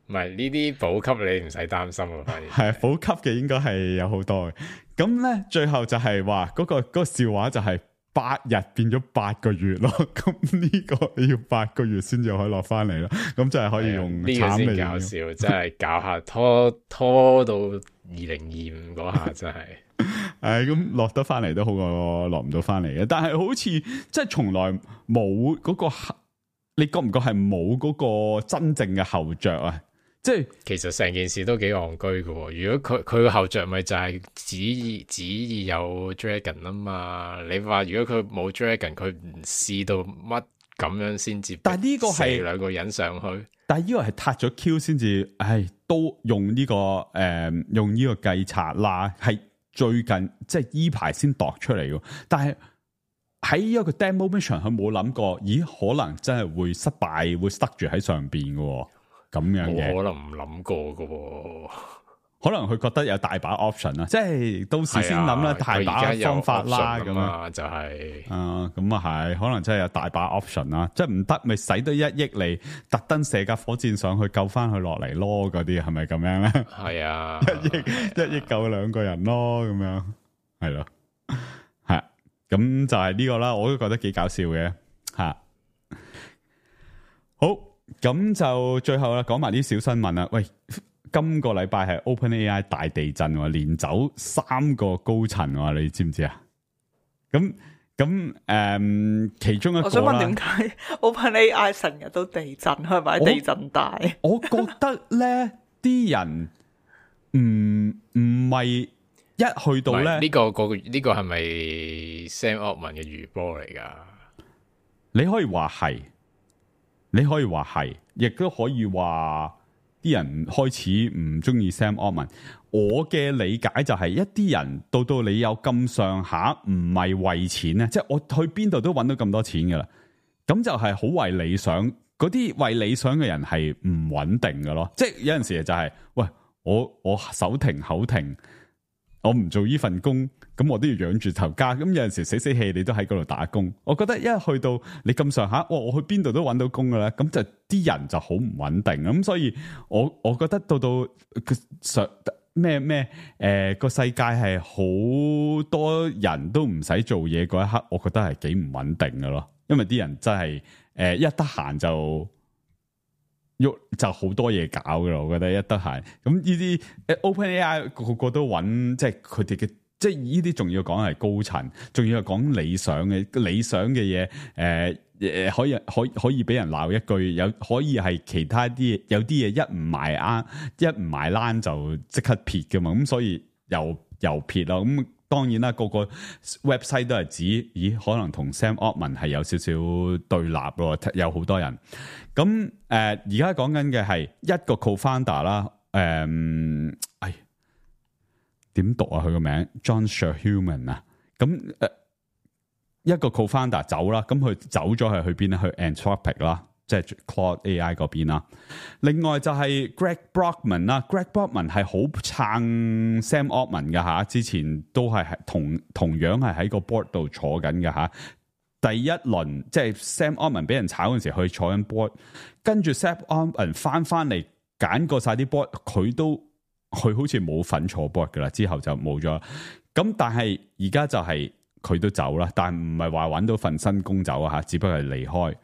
唔係呢啲補給你唔使擔心啊，反而係啊，補給嘅應該係有好多嘅。咁咧最後就係話嗰個嗰、嗰個笑話就係八日變咗八個月咯。咁呢個要八個月先至可以落翻嚟咯。咁就係可以用呢、呢個先搞笑，真係搞下拖拖到二零二五嗰下真係。誒，咁落得翻嚟都好過落唔到翻嚟嘅。但係好似即係從來冇嗰、嗰個，你覺唔覺係冇嗰個真正嘅後着啊？即係其實成件事都幾戇居嘅，如果佢佢個後着咪就係旨意旨意有 Dragon 啊嘛？你話如果佢冇 Dragon， 佢唔試到乜咁樣先至？但係呢個係兩個人上去，但係呢個係撻咗 Q 先至，唉，都用呢、這個誒、呃、用呢個計策啦，係最近即係依排先度出嚟嘅。但係喺一個 demo mission，佢冇諗過，咦？可能真係會失敗，會塞住喺上邊嘅。咁樣嘅，可能唔諗過噶、哦，可能佢覺得有大把 option 啦，即係到時先諗啦，大把方法啦，咁啊就係、是，啊咁啊係，可能真係有大把 option 啦，即係唔得咪使多一億嚟，特登射架火箭上去救翻佢落嚟咯，嗰啲係咪咁樣咧？係啊，一億一億救兩個人咯，咁樣係咯，係，咁就係呢個啦，我都覺得幾搞笑嘅，吓，好。咁就最後啦，講埋啲小新聞啦。喂，今個禮拜係 OpenAI 大地震，連走三個高層，你知唔知啊？咁咁誒，其中一個我想問點解 OpenAI 成日都地震，係咪地震大？我，我覺得咧，啲人唔唔係一去到咧，呢、這個個呢、這個係咪 Sam Altman 嘅餘波嚟噶？你可以話係。你可以話係，亦都可以話啲人開始唔中意 Sam Altman。我嘅理解就係一啲人到到你有咁上下，唔係為錢咧，即係我去邊度都揾到咁多錢噶啦，咁就係好為理想。嗰啲為理想嘅人係唔穩定噶咯，即係有陣時就係、是，喂，我我手停口停，我唔做呢份工，咁我都要養住頭家。咁有陣時死死氣，你都喺嗰度打工。我覺得一去到你咁上下，哇！我去邊度都揾到工噶啦，咁就啲人就好唔穩定。咁所以我我覺得到到上咩咩誒個世界係好多人都唔使做嘢嗰一刻，我覺得係幾唔穩定噶咯。因為啲人真係誒、呃、一得閒就喐就好多嘢搞噶啦。我覺得一得閒咁呢啲誒 OpenAI 個個都揾，即係佢哋嘅。即係呢啲仲要講係高層，仲要係講理想嘅理想嘅嘢，誒、呃、誒可以可以可以俾人鬧一句，有可以係其他啲有啲嘢一唔埋啱，一唔埋欄就即刻撇噶嘛，咁所以又又撇咯。咁當然啦，個個 website 都係指，咦可能同 Sam Altman 係有少少對立咯，有好多人。咁誒而家講緊嘅係一個 co-founder 啦，誒、呃，哎。點讀啊？佢個名 John Sherhuman 啊，咁誒、呃、一個 co-founder 走啦，咁佢走咗係去邊咧？去 Anthropic 啦，即係 Claude A I 嗰邊啦。另外就係 Greg Brockman 啦 ，Greg Brockman 係好撐 Sam Altman 嘅吓，之前都係同同樣係喺個 board 度坐緊嘅吓。第一輪即係 Sam Altman 俾人炒嗰陣時，去坐緊 board， 跟住 Sam Altman 翻翻嚟揀過晒啲 board， 佢都。佢好似冇份坐 board 噶啦，之後就冇咗。咁但係而家就係佢都走啦，但係唔係話搵到份新工走啊吓，只不過係離開。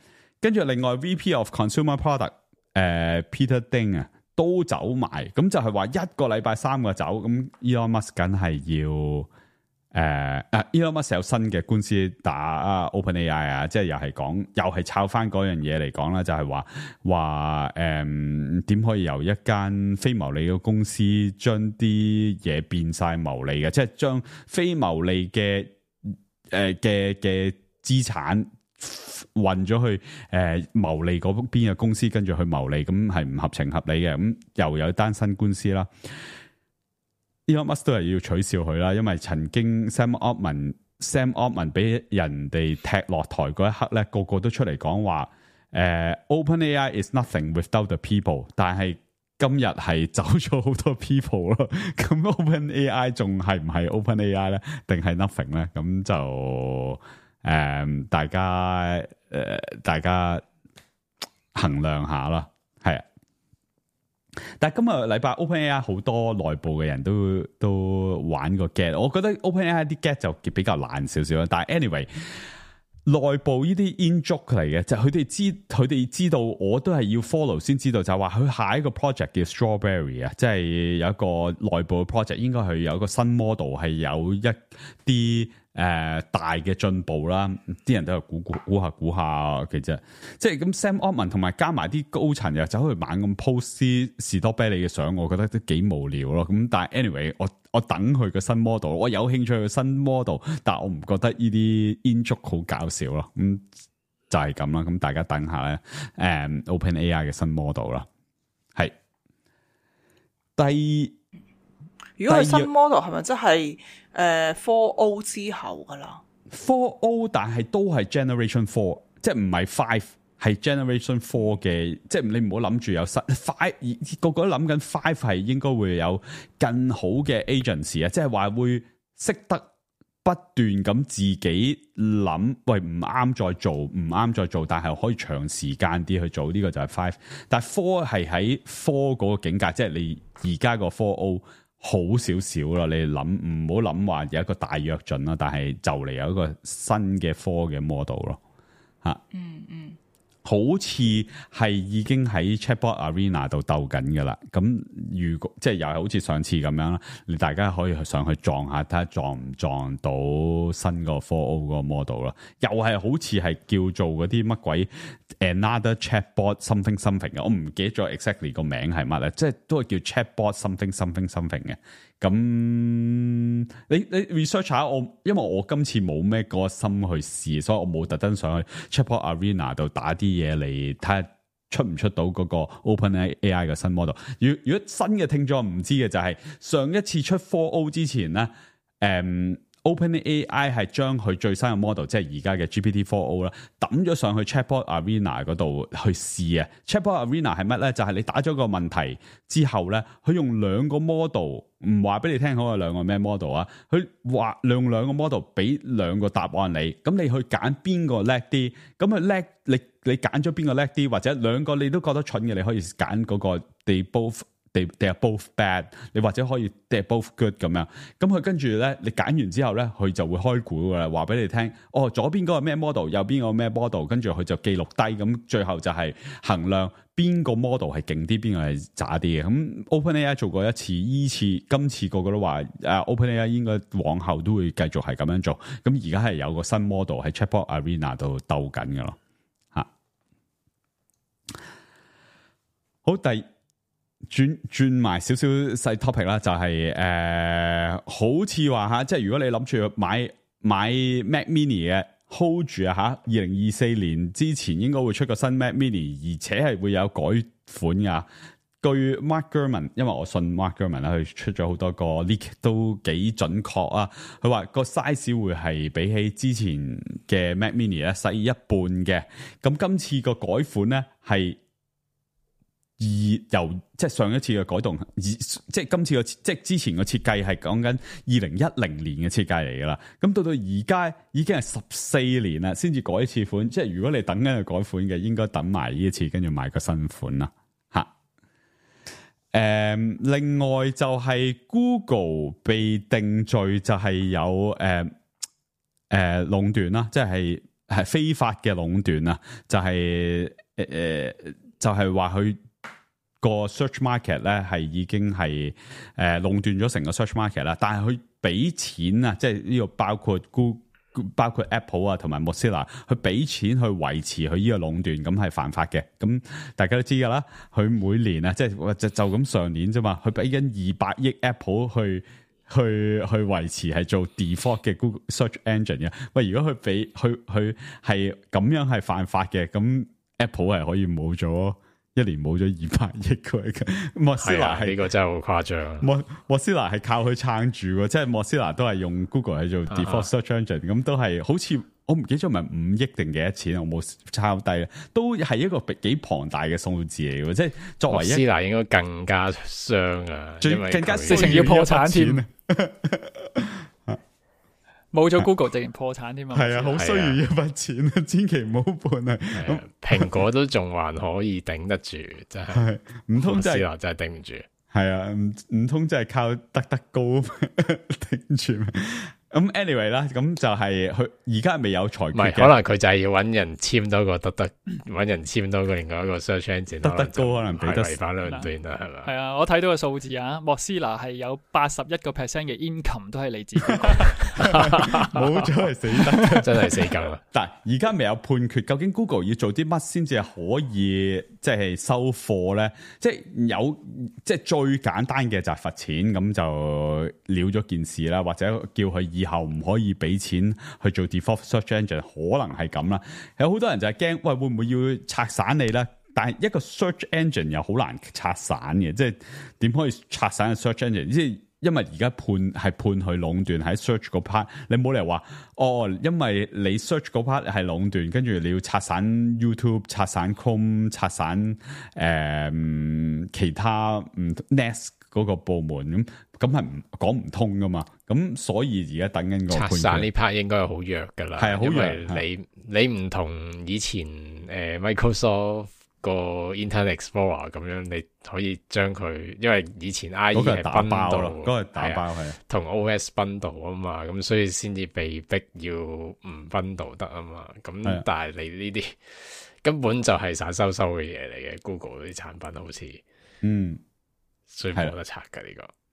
跟住另外 V P of Consumer Product 誒、呃、Peter Ding 啊都走埋，咁就係話一個禮拜三個走。咁 Elon Musk 梗係要。誒、uh, 啊 Elon Musk 有新嘅官司打啊 OpenAI 啊，即係又係講又係抄翻嗰樣嘢嚟講啦，就係話話誒點可以由一間非牟利嘅公司將啲嘢變晒牟利嘅，即係將非牟利嘅誒嘅嘅資產運咗去誒牟利嗰邊嘅公司，跟住去牟利，咁係唔合情合理嘅。咁又有單新官司啦。Elon Musk 都係要取笑佢啦，因為曾經 Sam Altman Sam Altman 俾人哋踢落台嗰一刻咧，個個都出嚟講話，誒、呃、OpenAI is nothing without the people， 但係今日係走咗好多 people 咯，咁 OpenAI 仲係唔係 OpenAI 咧，定係 nothing 咧？咁就誒、呃、大家誒、呃、大家衡量下啦，係啊。但係今日禮拜 OpenAI 好多內部嘅人都都玩個 get， 我覺得 OpenAI 啲 get 就比較爛少少啦。但係 anyway， 內部呢啲 in joke 嚟嘅，就佢、是、哋知佢哋知道，我都係要 follow 先知道，就係話佢下一個 project 叫 Strawberry 啊，即係有一個內部嘅 project，應該係有一個新 model， 係有一啲。誒、呃，大嘅進步啦，啲人都係估估估下估下，其實即係咁 Sam Altman 同埋加埋啲高層又走去猛咁 post 士多啤梨嘅相，我覺得都幾無聊咯。咁但係 anyway， 我我等佢個新 model， 我有興趣嘅新 model， 但係我唔覺得呢啲 in joke 好搞笑咯。咁就係咁啦。咁大家等下咧，誒、嗯、OpenAI 嘅新 model 啦，係第。如果係新 model 係咪即係誒 four O 之後噶啦 four O 但係都係 generation four， 即係唔係 five， 係 generation four 嘅，即係你唔好諗住有 five， 個個都諗緊 five 係應該會有更好嘅 agency 啊，即係話會識得不斷咁自己諗，喂唔啱再做，唔啱再做，但係可以長時間啲去做，呢、這個就係 five， 但係 four 係喺 four 嗰個境界，即係你而家個 four O。好少少啦，你諗唔好諗話有一個大躍進啦，但係就嚟有一個新嘅科嘅 model 咯，吓，嗯嗯，好似係已經喺 Chatbot Arena 度鬥緊噶啦，咁如果即係又係好似上次咁樣啦，你大家可以上去撞下，睇下撞唔撞到新個 four O 個 model 啦，又係好似係叫做嗰啲乜鬼 Another Chatbot something something 嘅，我唔記得咗 exactly 個名係乜咧，即係都係叫 Chatbot something something something 嘅。咁你你 research 下我，因為我今次冇咩個心去試，所以我冇特登上去 Chatbot Arena 度打啲嘢嚟睇下出唔出到嗰個 OpenAI 嘅新 model。如如果新嘅聽眾唔知嘅就係、是、上一次出 four O 之前咧，誒、嗯。OpenAI 係將佢最新嘅 model， 即係而家嘅 G P T 四 O 啦，抌咗上去 Chatbot Arena 嗰度去試啊。Chatbot Arena 係乜咧？就係、是、你打咗個問題之後咧，佢用兩個 model， 唔話俾你聽好有兩個咩 model 啊，佢話用兩個 model 俾兩個答案你，咁你去揀邊個叻啲，咁佢叻，你你揀咗邊個叻啲，或者兩個你都覺得蠢嘅，你可以揀嗰個 they both。They, they are both bad， 你或者可以 they are both good 咁樣，咁佢跟住咧，你揀完之後咧，佢就會開估噶啦，話俾你聽，哦，左邊嗰個咩 model， 右邊嗰個咩 model， 跟住佢就記錄低，咁最後就係衡量邊個 model 係勁啲，邊個係渣啲嘅。咁 OpenAI 做過一次，依次今次個個都話，誒、uh, OpenAI 應該往後都會繼續係咁樣做。咁而家係有個新 model 喺 Chatbot Arena 度鬥緊噶咯，吓。好，第。轉轉埋少少細 topic 啦，就係、是、誒、呃，好似話吓，即係如果你諗住買買 Mac Mini 嘅 hold 住啊吓，二零二四年之前應該會出個新 Mac Mini，而且係會有改款噶。據 Mark Gurman， 因為我信 Mark Gurman 啦，佢出咗好多個 leak 都幾準確啊。佢話個 size 會係比起之前嘅 Mac Mini 咧細一半嘅。咁今次個改款咧係。而由即係上一次嘅改動，而即係今次嘅即係之前嘅設計係講緊二零一零年嘅設計嚟噶啦，咁到到而家已經係十四年啦，先至改一次款。即係如果你等緊去改款嘅，應該等埋呢一次，跟住買個新款啦。吓，誒、嗯，另外就係 Google 被定罪就係有誒誒壟斷啦，即係係非法嘅壟斷啊，就係、是、誒、呃、就係話佢。個 search market 咧係已經係誒壟斷咗成個 search market 啦，但係佢俾錢啊，即係呢個包括 Google、包括 Apple 啊同埋 Mozilla， 佢俾錢去維持佢呢個壟斷，咁係犯法嘅。咁大家都知噶啦，佢每年啊，即係就就咁上年啫嘛，佢俾緊二百億 Apple 去去去維持係做 default 嘅 Google search engine 嘅。喂，如果佢俾佢佢係咁樣係犯法嘅，咁 Apple 係可以冇咗。一年冇咗二百億嘅，莫斯拉係呢個真係好誇張。莫莫斯拉係靠佢撐住嘅，即係莫斯拉都係用 Google 去做 default search engine，咁都係好似我唔記得咗，係咪五億定幾多錢？我冇抄低，都係一個幾龐大嘅數字嚟嘅。即係作為一莫斯拉應該更加傷啊，最更加直情要破產添。冇咗 Google 直情破產添嘛？係啊，好需要一筆錢啊，千祈唔好判啊！咁蘋果都仲還可以頂得住，真係唔通真係真係頂唔住？係啊，唔唔通真係靠得得高頂住？咁 anyway 啦，咁就係佢而家未有裁決嘅，唔係可能佢就係要揾人簽多個得得，揾人簽多個另外一個 search engine，得得高可能俾得違反兩段啦，係嘛？係啊，我睇到個數字啊，莫斯拉係有八十一個 percent 嘅 income 都係嚟自冇咗係死得，真係死梗啦！但係而家未有判決，究竟 Google 要做啲乜先至係可以即係、就是、收貨咧？即、就、係、是、有即係、就是、最簡單嘅就係罰錢，咁就了咗件事啦，或者叫佢以後唔可以俾錢去做 default search engine， 可能係咁啦。有好多人就係驚，喂，會唔會要拆散你咧？但係一個 search engine 又好難拆散嘅，即係點可以拆散個 search engine？即係因為而家判係判佢壟斷喺 search 嗰 part，你冇理由話哦，因為你 search 嗰 part 係壟斷，跟住你要拆散 YouTube、拆散 Chrome、拆散誒、呃、其他唔 Nest 嗰個部門咁，咁係唔講唔通噶嘛？咁所以而家等緊個判決。拆散呢 part 應該係好弱噶啦，係啊，好弱。你你唔同以前誒、呃、Microsoft 個 Internet Explorer 咁樣，你可以將佢，因為以前 I E 係打包咯，嗰個打包係同 O S bundle 啊嘛，咁所以先至被逼要唔 bundle 得啊嘛。咁但係你呢啲根本就係散收收嘅嘢嚟嘅 ，Google 啲產品好似嗯。所以冇得拆噶呢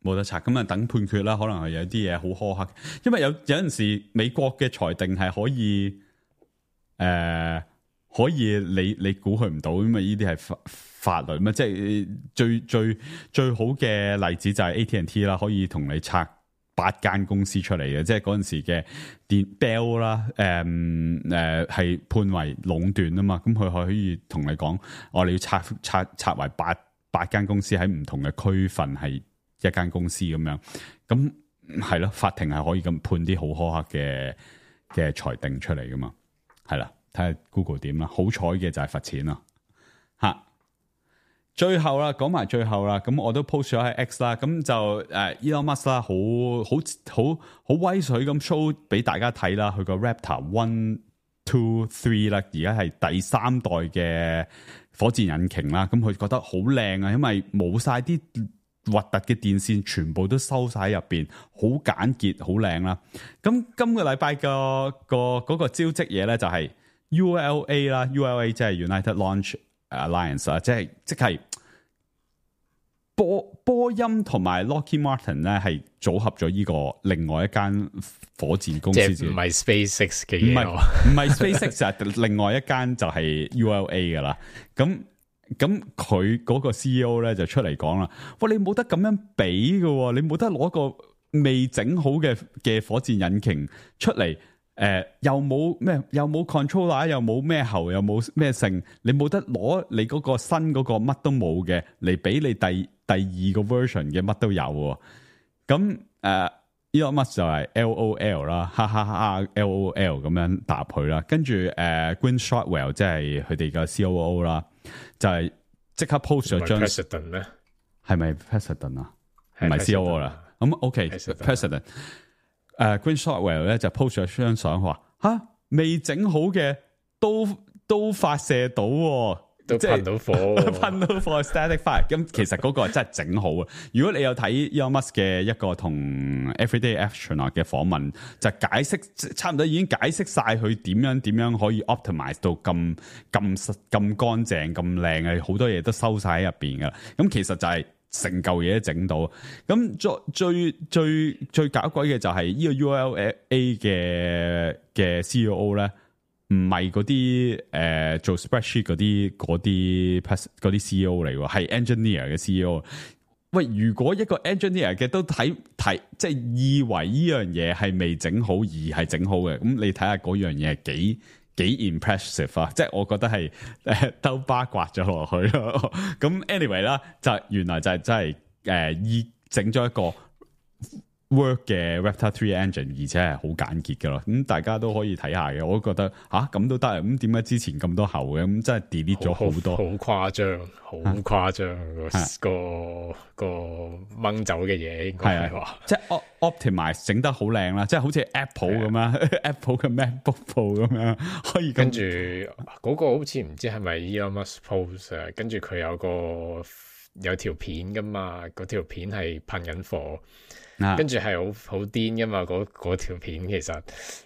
個，冇得拆。咁啊，等判決啦。可能係有啲嘢好苛刻，因為有有陣時美國嘅裁定係可以，誒、呃，可以你你估佢唔到，因為呢啲係法法律嘛。即係最最最好嘅例子就係 A T and T 啦，可以同你拆八間公司出嚟嘅。即係嗰陣時嘅電 Bell 啦，誒誒係判為壟斷啊嘛。咁佢可以同你講，我哋要拆拆拆為八。八間公司喺唔同嘅區份係一間公司咁樣，咁係咯，法庭係可以咁判啲好苛刻嘅嘅裁定出嚟噶嘛，係啦，睇下 Google 點啦。好彩嘅就係罰錢啦，吓。最後啦，講埋最後啦，咁我都 post 咗喺 X 啦，咁就誒、uh, Elon Musk 啦，好好好好威水咁 show 俾大家睇啦，佢個 Raptor One Two Three 啦，而家係第三代嘅火箭引擎啦，咁佢覺得好靚啊，因為冇晒啲核突嘅電線，全部都收晒喺入邊，好簡潔，好靚啦。咁今個禮拜個個嗰個招職嘢咧就係 U L A 啦 ，U L A 即係 United Launch Alliance 啊，即係即係波波音同埋 Lockheed Martin 咧係組合咗呢個另外一間火箭公司，即係唔係 SpaceX 嘅嘢，唔係唔係 SpaceX 就另外一間就係 U L A 噶啦。咁咁佢嗰個 C E O 咧就出嚟講啦，喂，你冇得咁樣比噶，你冇得攞個未整好嘅嘅火箭引擎出嚟。誒、呃，又冇咩，又冇 controller， 又冇咩喉，又冇咩性，你冇得攞你嗰個新嗰個乜都冇嘅嚟俾你第第二個 version 嘅乜都有喎。咁誒 Elon Musk 就係 L O L 啦，哈哈哈 L O L 咁樣答佢啦。跟住誒 Gwynne Shotwell 即係佢哋嘅 C O O 啦，就係即刻 post 咗張 President 咩？係咪 President 啊？唔係 C O O 啦。咁 OK President。誒、uh, Gwynne Shotwell 咧就 post 咗張相，話吓未整好嘅都都發射到、哦，都噴到火、哦，噴到火 static fire。咁其實嗰個真係整好啊！如果你有睇 Elon Musk 嘅一個同 Everyday Astronaut 嘅訪問，就解釋差唔多已經解釋晒佢點樣點樣可以 optimize 到咁咁咁乾淨咁靚嘅，好多嘢都收晒喺入邊噶。咁其實就係、是。成嚿嘢都整到，咁最最最最搞鬼嘅就係呢個 U L A 嘅嘅 C E O 咧，唔係嗰啲誒做 spreadsheet 嗰啲嗰啲嗰啲 C E O 嚟喎，係 engineer 嘅 C E O。喂，如果一個 engineer 嘅都睇睇，即係以為呢樣嘢係未整好而係整好嘅，咁你睇下嗰樣嘢係幾幾 impressive 啊！即係我覺得係誒兜巴刮咗落去咯。咁 anyway 啦，就原來就係真係誒依整咗一個 work 嘅 Raptor Three engine，而且係好簡潔嘅咯。咁大家都可以睇下嘅。我都覺得吓咁都得。咁點解之前咁多後嘅？咁真係 delete 咗好多，好誇張，好誇張個個掹走嘅嘢，應該係話即係 optimize 整得好靚啦，即係好似 Apple 咁樣 ，Apple 嘅 MacBook Pro 咁樣可以跟住嗰個好似唔知係咪 Elon Musk post 啊？跟住佢有個有條片噶嘛，嗰條片係噴緊火。跟住係好好癲噶嘛，嗰嗰條片其實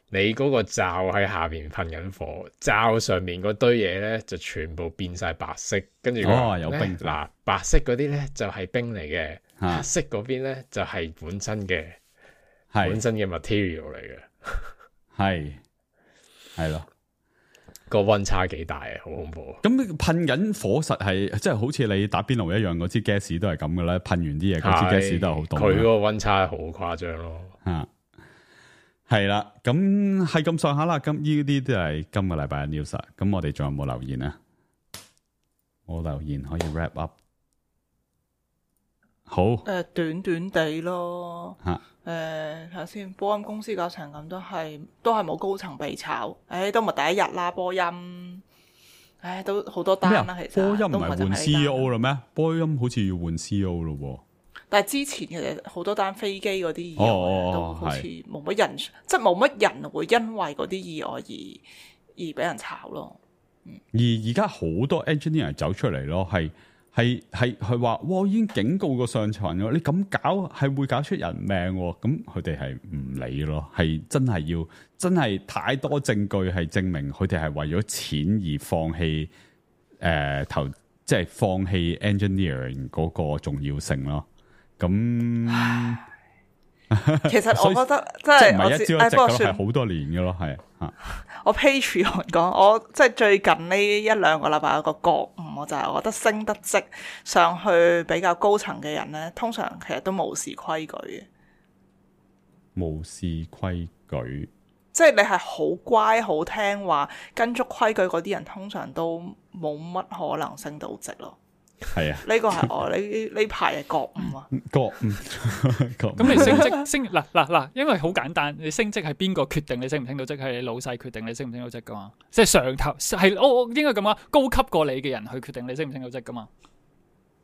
你嗰個罩喺下邊噴緊火，罩上面嗰堆嘢咧就全部變晒白色，跟住哦有冰嗱，白色嗰啲咧就係冰嚟嘅，黑色嗰邊咧就係本身嘅本身嘅 material 嚟嘅，係係咯。個溫差幾大啊，好恐怖！咁噴緊火實係即係好似你打邊爐一樣，嗰支 gas 都係咁嘅啦。噴完啲嘢，嗰支 gas 都係好凍。佢個溫差好誇張咯。吓係啦，咁係咁上下啦。咁呢啲都係今個禮拜嘅 news。咁我哋仲有冇留言啊？我留言可以 wrap up。好誒、呃，短短地咯。吓。誒，睇下先，波音公司搞成咁都係都係冇高層被炒，誒都唔係第一日啦，波音，誒都好多單啦，其實波音唔係換 C E O 啦咩？波音好似要換 C E O 咯，但係之前其實好多單飛機嗰啲意外、哦、都好似冇乜人，哦、即係冇乜人會因為嗰啲意外而而俾人炒咯。嗯、而而家好多 engineer 走出嚟咯，係。係係佢話，哇！已經警告過上層咯，你咁搞係會搞出人命，咁佢哋係唔理咯，係真係要真係太多證據係證明佢哋係為咗錢而放棄誒、呃、投，即係放棄 engineering 嗰個重要性咯。咁其實我覺得真係唔係一朝一夕咯，係好多年嘅咯，係吓。我 Patreon 講，我即係最近呢一兩個禮拜有個覺悟，我就係我覺得升得職上去比較高層嘅人咧，通常其實都無視規矩嘅。無視規矩，即係你係好乖好聽話，跟足規矩嗰啲人，通常都冇乜可能升到職咯。係啊，呢個係我呢呢排嘅覺悟啊。覺悟。咁你升職升嗱嗱嗱，因為好簡單，你升職係邊個決定你升唔升到職？係你老細決定你升唔升到職噶嘛？即係上頭係我我應該咁講，高級過你嘅人去決定你升唔升到職噶嘛？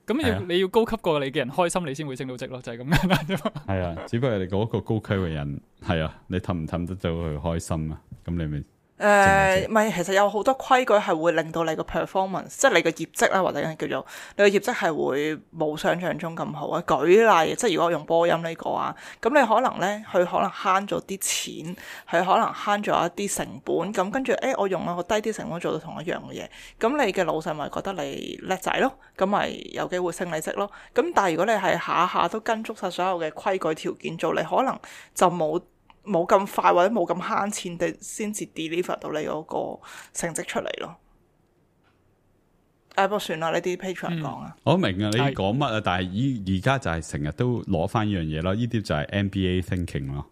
咁要、啊、你要高級過你嘅人開心，你先會升到職咯，就係、是、咁簡單啫嘛。係啊，只不過你嗰個高級嘅人係啊，你氹唔氹得到佢開心啊？咁你咪。誒，唔係，其實有好多規矩係會令到你個 performance，即係你個業績啦，或者叫做你個業績係會冇想象中咁好啊。舉例，即係如果我用波音呢個啊，咁你可能咧，佢可能慳咗啲錢，佢可能慳咗一啲成本，咁跟住誒，我用一個低啲成本做到同一樣嘅嘢，咁你嘅老細咪覺得你叻仔咯，咁咪有機會升你職咯。咁但係如果你係下下都跟足晒所有嘅規矩條件做，你可能就冇。冇咁快或者冇咁慳錢地先至 deliver 到你嗰個成績出嚟咯。誒，不過算啦，呢啲 Patreon 講啊。我明啊，你講乜啊？但係依而家就係成日都攞翻呢樣嘢咯。呢啲就係 M B A thinking 咯。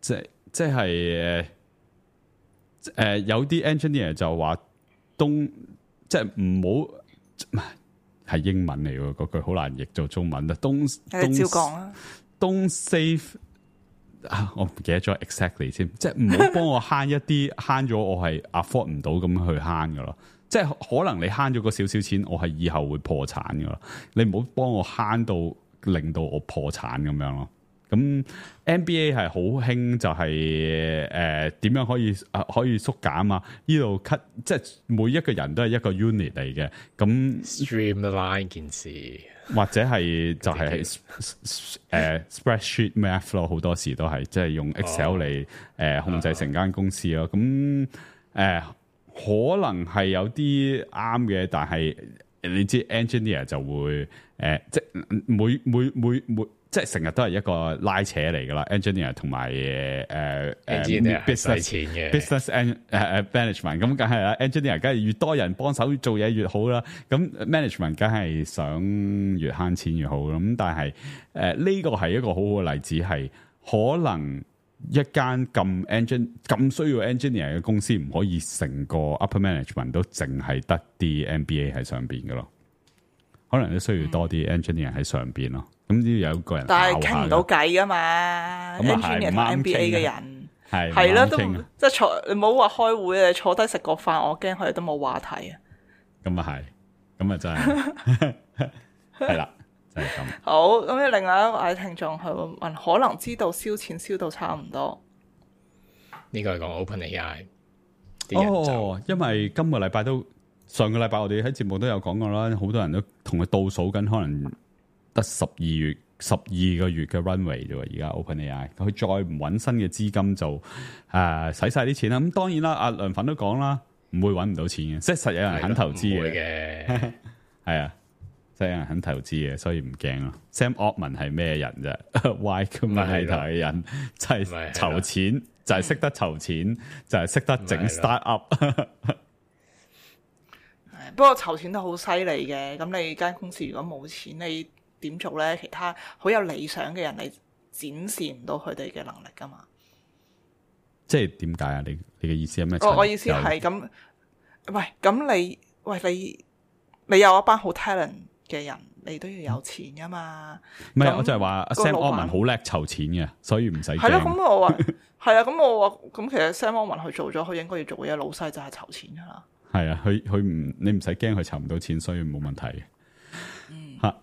即係即係誒誒，有啲 engineer 就話東即係唔好係英文嚟喎，嗰句好難譯做中文啦。東東照講啦。東 save。啊、我唔記得咗 exactly 先，即係唔好幫我慳一啲，慳咗我係 afford 唔到咁去慳噶咯。即係可能你慳咗個少少錢，我係以後會破產噶咯。你唔好幫我慳到令到我破產咁樣咯。咁 M B A 係好興就係誒點樣可以啊可以縮減啊？呢度 cut 即係每一個人都係一個 unit 嚟嘅。咁 streamline 件事。或者係就係、是、誒、uh, spreadsheet math 咯，好多時都係即係用 Excel 嚟誒、呃、控制成間公司咯。咁誒、呃、可能係有啲啱嘅，但係你知 engineer 就會誒、呃、即係每每每每即係成日都係一個拉扯嚟噶啦 ，engineer 同埋誒誒 business business and 誒誒 management 咁梗係啦 ，engineer 梗係越多人幫手做嘢越好啦，咁 management 梗係想越慳錢越好咁，但係誒呢個係一個好好嘅例子，係可能一間咁 engine 咁需要 engineer 嘅公司唔可以成個 upper management 都淨係得啲 M B A 喺上邊嘅咯，可能都需要多啲 engineer 喺上邊咯。咁呢有個人，但係傾唔到偈噶嘛 ？engineer 同 M B A 嘅人係係啦，都即係坐，你唔好話開會啊，坐低食個飯，我驚佢哋都冇話題啊。咁啊係，咁啊真係係啦，就係、是、咁。好，咁另外一位聽眾佢問，可能知道燒錢燒到差唔多。呢個係講 OpenAI。哦，因為今個禮拜都上個禮拜我哋喺節目都有講過啦，好多人都同佢倒數緊，可能。得十二月十二個月嘅 runway 啫，而家 OpenAI 佢再唔揾新嘅資金就誒使晒啲錢啦。咁當然啦，阿梁粉都講啦，唔會揾唔到錢嘅，即係實有人肯投資嘅。係啊，實有人肯投資嘅，所以唔驚咯。Sam Altman 係咩人啫 ？Y Combinator 嘅人就係籌錢，就係識得籌錢，就係識得整 startup。不過籌錢都好犀利嘅，咁你間公司如果冇錢，你點做咧？其他好有理想嘅人，你展示唔到佢哋嘅能力噶嘛？即係點解啊？你你嘅意思係咩？我我意思係咁，喂，咁你喂你你有一班好 talent 嘅人，你都要有錢噶嘛？唔係，我就係話 Sam Altman 好叻籌錢嘅，所以唔使驚。係咯，咁我話係啊，咁我話咁其實 Sam Altman 去做咗，佢應該要做嘅嘢，老細就係籌錢噶啦。係啊，佢佢唔你唔使驚佢籌唔到錢，所以冇問題嘅。嗯，吓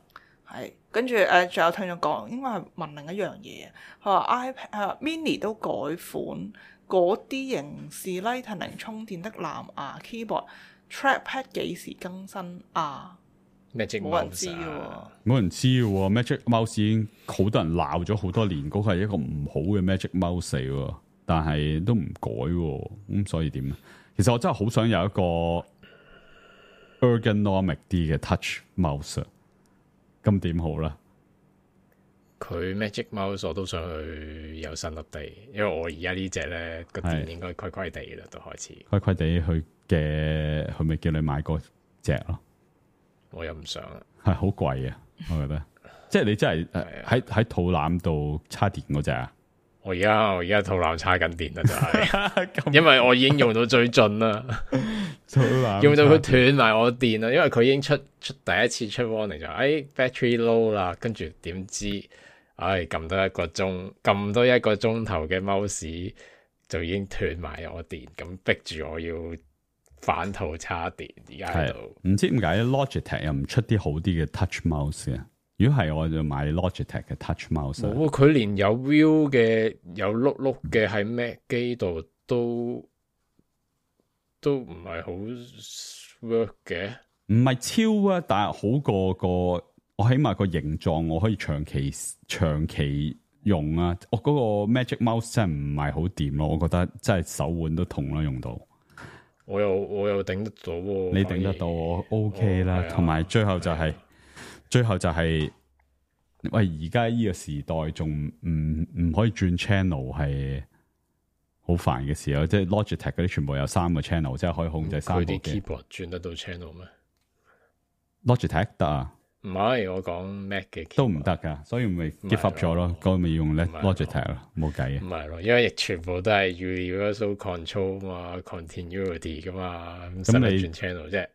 係跟住誒，仲有聽眾講，應該係問另一樣嘢。佢話 iPad 誒 Mini 都改款，嗰啲型是 Lightning 充電的藍牙 keyboard trackpad 幾時更新啊？冇人知喎，冇人知喎。Magic Mouse 已經好多人鬧咗好多年，嗰個係一個唔好嘅 Magic Mouse 嚟喎，但係都唔改喎，咁所以點咧？其實我真係好想有一個 ergonomic 啲嘅 touch mouse， 咁點好啦？佢 Magic Mouse 我都想去有新 update，因為我而家呢隻咧個電應該虧虧地啦，都開始虧虧地去嘅，佢咪叫你買嗰隻咯？我又唔想啊，係好貴啊，我覺得，即係你真係喺喺肚腩度插電嗰隻啊？我而家我而家肚腩叉緊電啦，就係，因為我已經用到最盡啦，用到佢斷埋我電啦，因為佢已經出出第一次出 warning 就，哎 battery low 啦，跟住點知，哎撳多一個鐘，撳多一個鐘頭嘅 mouse 就已經斷埋我電，咁逼住我要反肚叉電，而家喺度。唔知點解 Logitech 又唔出啲好啲嘅 touch mouse 啊？如果係我就買 Logitech 嘅 touch mouse。冇，佢連有 view 嘅有碌碌嘅喺 Mac 機度都都唔係好 work 嘅。唔係超啊，但係好過個我起碼個形狀我可以長期長期用啊。我嗰個 Magic Mouse 真係唔係好掂咯，我覺得真係手腕都痛啦用到。我又我又頂得到喎、啊，你頂得到我 OK 啦。同埋、哦、最後就係、是。最後就係、是，喂！而家呢個時代仲唔唔可以轉 channel 係好煩嘅事咯，即係 Logitech 嗰啲全部有三個 channel，即係可以控制三個嘅。佢啲 keyboard 轉得到 channel 咩 ？Logitech 得啊？唔係，我講 Mac 嘅都唔得噶，所以咪 give up 咗咯，咁咪用咧 Logitech 咯，冇計嘅。唔係咯，因為全部都係 universal control 嘛 ，continuity 噶嘛，咁你轉 channel 啫。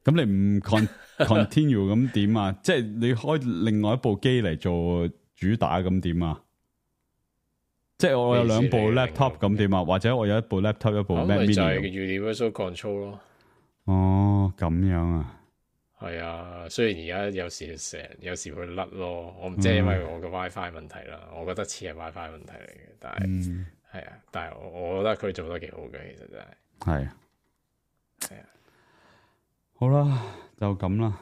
咁你唔 con continue 咁點啊？即係你開另外一部機嚟做主打咁點啊？即係我有兩部 laptop 咁點啊？或者我有一部 laptop 一部 Mac Mini 就係 universal control 咯。哦，咁樣啊？係啊，雖然而家有時成有時會甩咯，我唔知係因為我嘅 WiFi 問題啦，嗯、我覺得似係 WiFi 問題嚟嘅，但係係、嗯、啊，但係我我覺得佢做得幾好嘅，其實真係係係啊。好啦，就咁啦。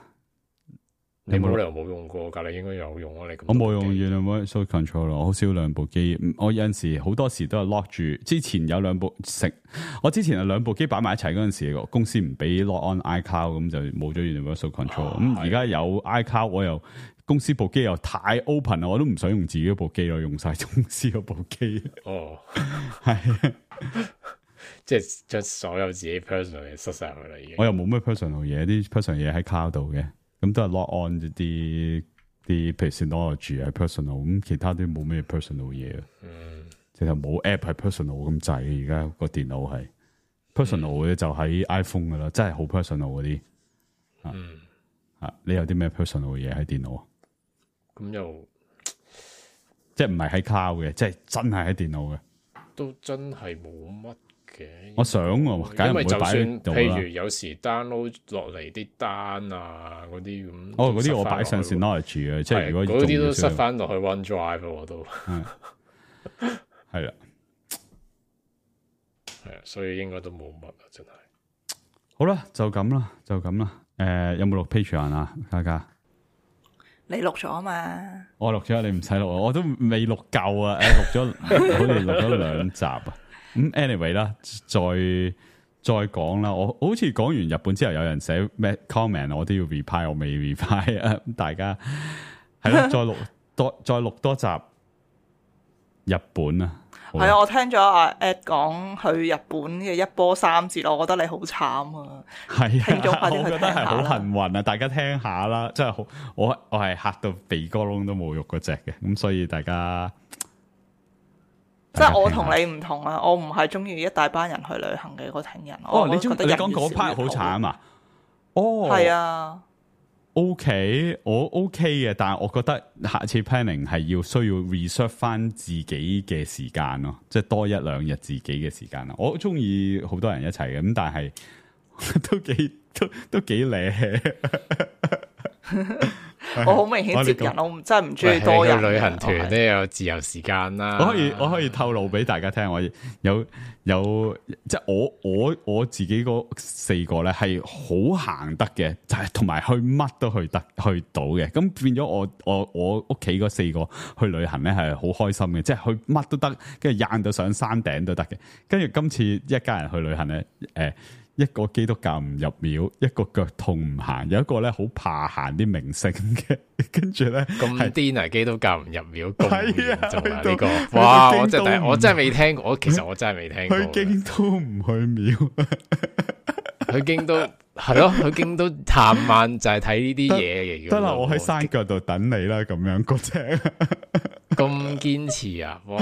你冇理由冇用過噶，你應該有用啊！你我冇用 Universal Control，我好少兩部機。我有陣時好多時都係 lock 住。之前有兩部食，我之前係兩部機擺埋一齊嗰陣時，公司唔俾 lock on iCloud，咁就冇咗 Universal Control。咁而家有 iCloud，我又公司部機又太 open 啦，我都唔想用自己部機咯，用晒公司嗰部機。哦，係。即係將所有自己 personal 嘢塞晒去啦，已經。我又冇咩 personal 嘢，啲 personal 嘢喺 cloud 度嘅，咁都係 log on 啲啲，譬如 Synology 係 personal，咁其他都冇咩 personal 嘢。嗯，直頭冇 app 係 personal 咁滯，而家個電腦係 personal 嘅就喺 iPhone 噶啦，真係好 personal 嗰啲。嗯，啊，你有啲咩 personal 嘢喺電腦啊？咁又即係唔係喺 cloud 嘅，即係真係喺電腦嘅。都真係冇乜。我想喎，因為就算譬如有時 download 落嚟啲單啊嗰啲咁，哦嗰啲我擺上 Synology 嘅，即係如果嗰啲都塞翻落去 OneDrive 我都係啦，係啊，所以應該都冇乜啊，真係。好啦，就咁啦，就咁啦。誒、呃，有冇錄 Patreon 啊？嘉嘉，你錄咗啊嘛？我錄咗，你唔使錄，我都未錄夠啊！誒，錄咗，好似錄咗兩集啊。咁 anyway 啦，再再講啦。我好似講完日本之後，有人寫咩 comment，我都要 reply，我未 reply 啊。大家係咯，再錄多再錄多集日本啊。係啊，我聽咗阿 Ed 講去日本嘅一波三折，我覺得你好慘啊。係啊，我覺得係好幸運啊。大家聽下啦，真係好，我我係嚇到鼻哥窿都冇肉嗰隻嘅，咁所以大家。即係我同你唔同啊！我唔係中意一大班人去旅行嘅嗰群人。哦，你中你講嗰 part 好慘啊！哦，係啊 ，OK，我 OK 嘅，但係我覺得下次 planning 係要需要 reserve 翻自己嘅時間咯，即係多一兩日自己嘅時間啦。我中意好多人一齊嘅，咁但係都幾都都幾靚。我好明顯接人，我唔真係唔中意多人。旅行團都有自由時間啦。我可以我可以透露俾大家聽，我有有即係我我我自己嗰四個咧係好行得嘅，就係同埋去乜都去得去到嘅。咁變咗我我我屋企嗰四個去旅行咧係好開心嘅，即係去乜都得，跟住晏到上山頂都得嘅。跟住今次一家人去旅行咧，誒、呃。一個基督教唔入廟，一個腳痛唔行，有一個咧好怕行啲名勝嘅，跟住咧咁癲啊！基督教唔入廟，咁嚴重啊！呢個哇，我真係我真係未聽過，我其實我真係未聽過。去京都唔去廟，去京都係咯，去京都探晚就係睇呢啲嘢嘅。得啦，我喺山腳度等你啦，咁樣嗰隻。咁堅持啊！哇，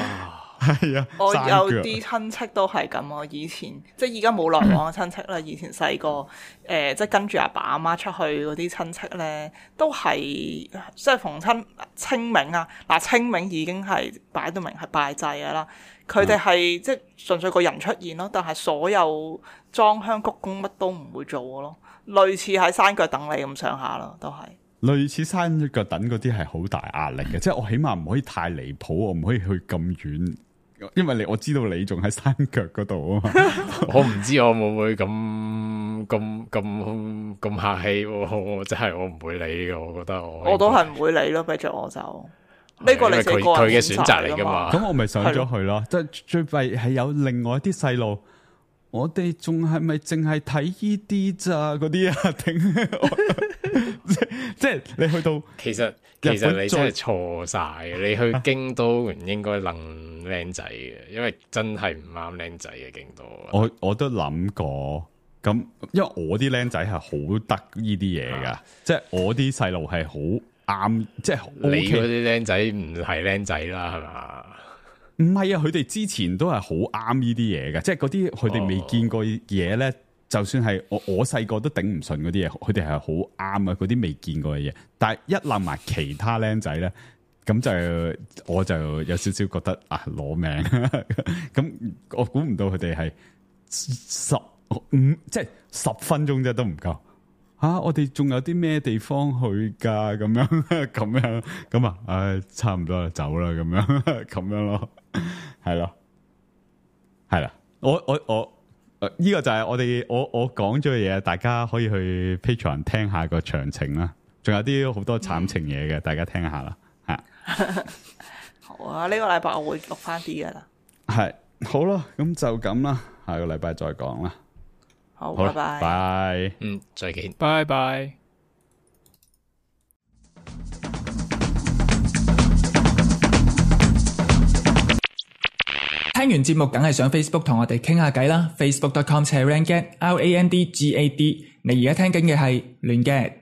係啊，我有啲親戚都係咁啊。以前即係而家冇來往嘅親戚啦。以前細個誒，即係跟住阿爸阿媽出去嗰啲親戚咧，都係即係逢親清明啊。嗱，清明已經係擺到明係拜祭㗎啦。佢哋係即係純粹個人出現咯，但係所有裝香鞠躬乜都唔會做嘅咯。類似喺山腳等你咁上下咯，都係。類似山腳等嗰啲係好大壓力嘅，即係我起碼唔可以太離譜，我唔可以去咁遠，因為你我知道你仲喺山腳嗰度啊嘛。我唔知我會唔會咁咁咁咁客氣，我真係我唔會理嘅。我覺得我我都係唔會理咯，俾着我就呢個你自己個人佢嘅選擇嚟噶嘛。咁我咪上咗去咯。即係最弊係有另外一啲細路。我哋仲係咪淨係睇呢啲咋嗰啲啊？定即係你去到，其實其實你真係錯晒。你去京都唔應該諗靚仔嘅，因為真係唔啱靚仔嘅京都。我我都諗過，咁因為我啲靚仔係好得呢啲嘢噶，即係我啲細路係好啱，即係你嗰啲靚仔唔係靚仔啦，係嘛？唔係啊，佢哋之前都係好啱呢啲嘢嘅，即係嗰啲佢哋未見過嘢咧，就算係我我細個都頂唔順嗰啲嘢，佢哋係好啱啊，嗰啲未見過嘅嘢。但係一諗埋其他僆仔咧，咁就我就有少少覺得啊攞命，咁我估唔到佢哋係十五即係十分鐘啫都唔夠。啊！我哋仲有啲咩地方去噶？咁樣咁樣咁啊！唉，差唔多啦，走啦，咁樣咁樣咯，係咯，係啦。我我我呢個就係我哋我我講咗嘅嘢，大家可以去 Patreon 聽下個詳情啦。仲有啲好多慘情嘢嘅，大家聽下啦。係好啊！呢個禮拜我會錄翻啲噶啦。係好啦，咁就咁啦，下個禮拜再講啦。好，拜拜。拜，嗯，再見，拜拜。聽完節目，梗係上 Facebook 同我哋傾下偈啦。Facebook dot com slash Randgad L A N D G A D。你而家聽緊嘅係亂 gad。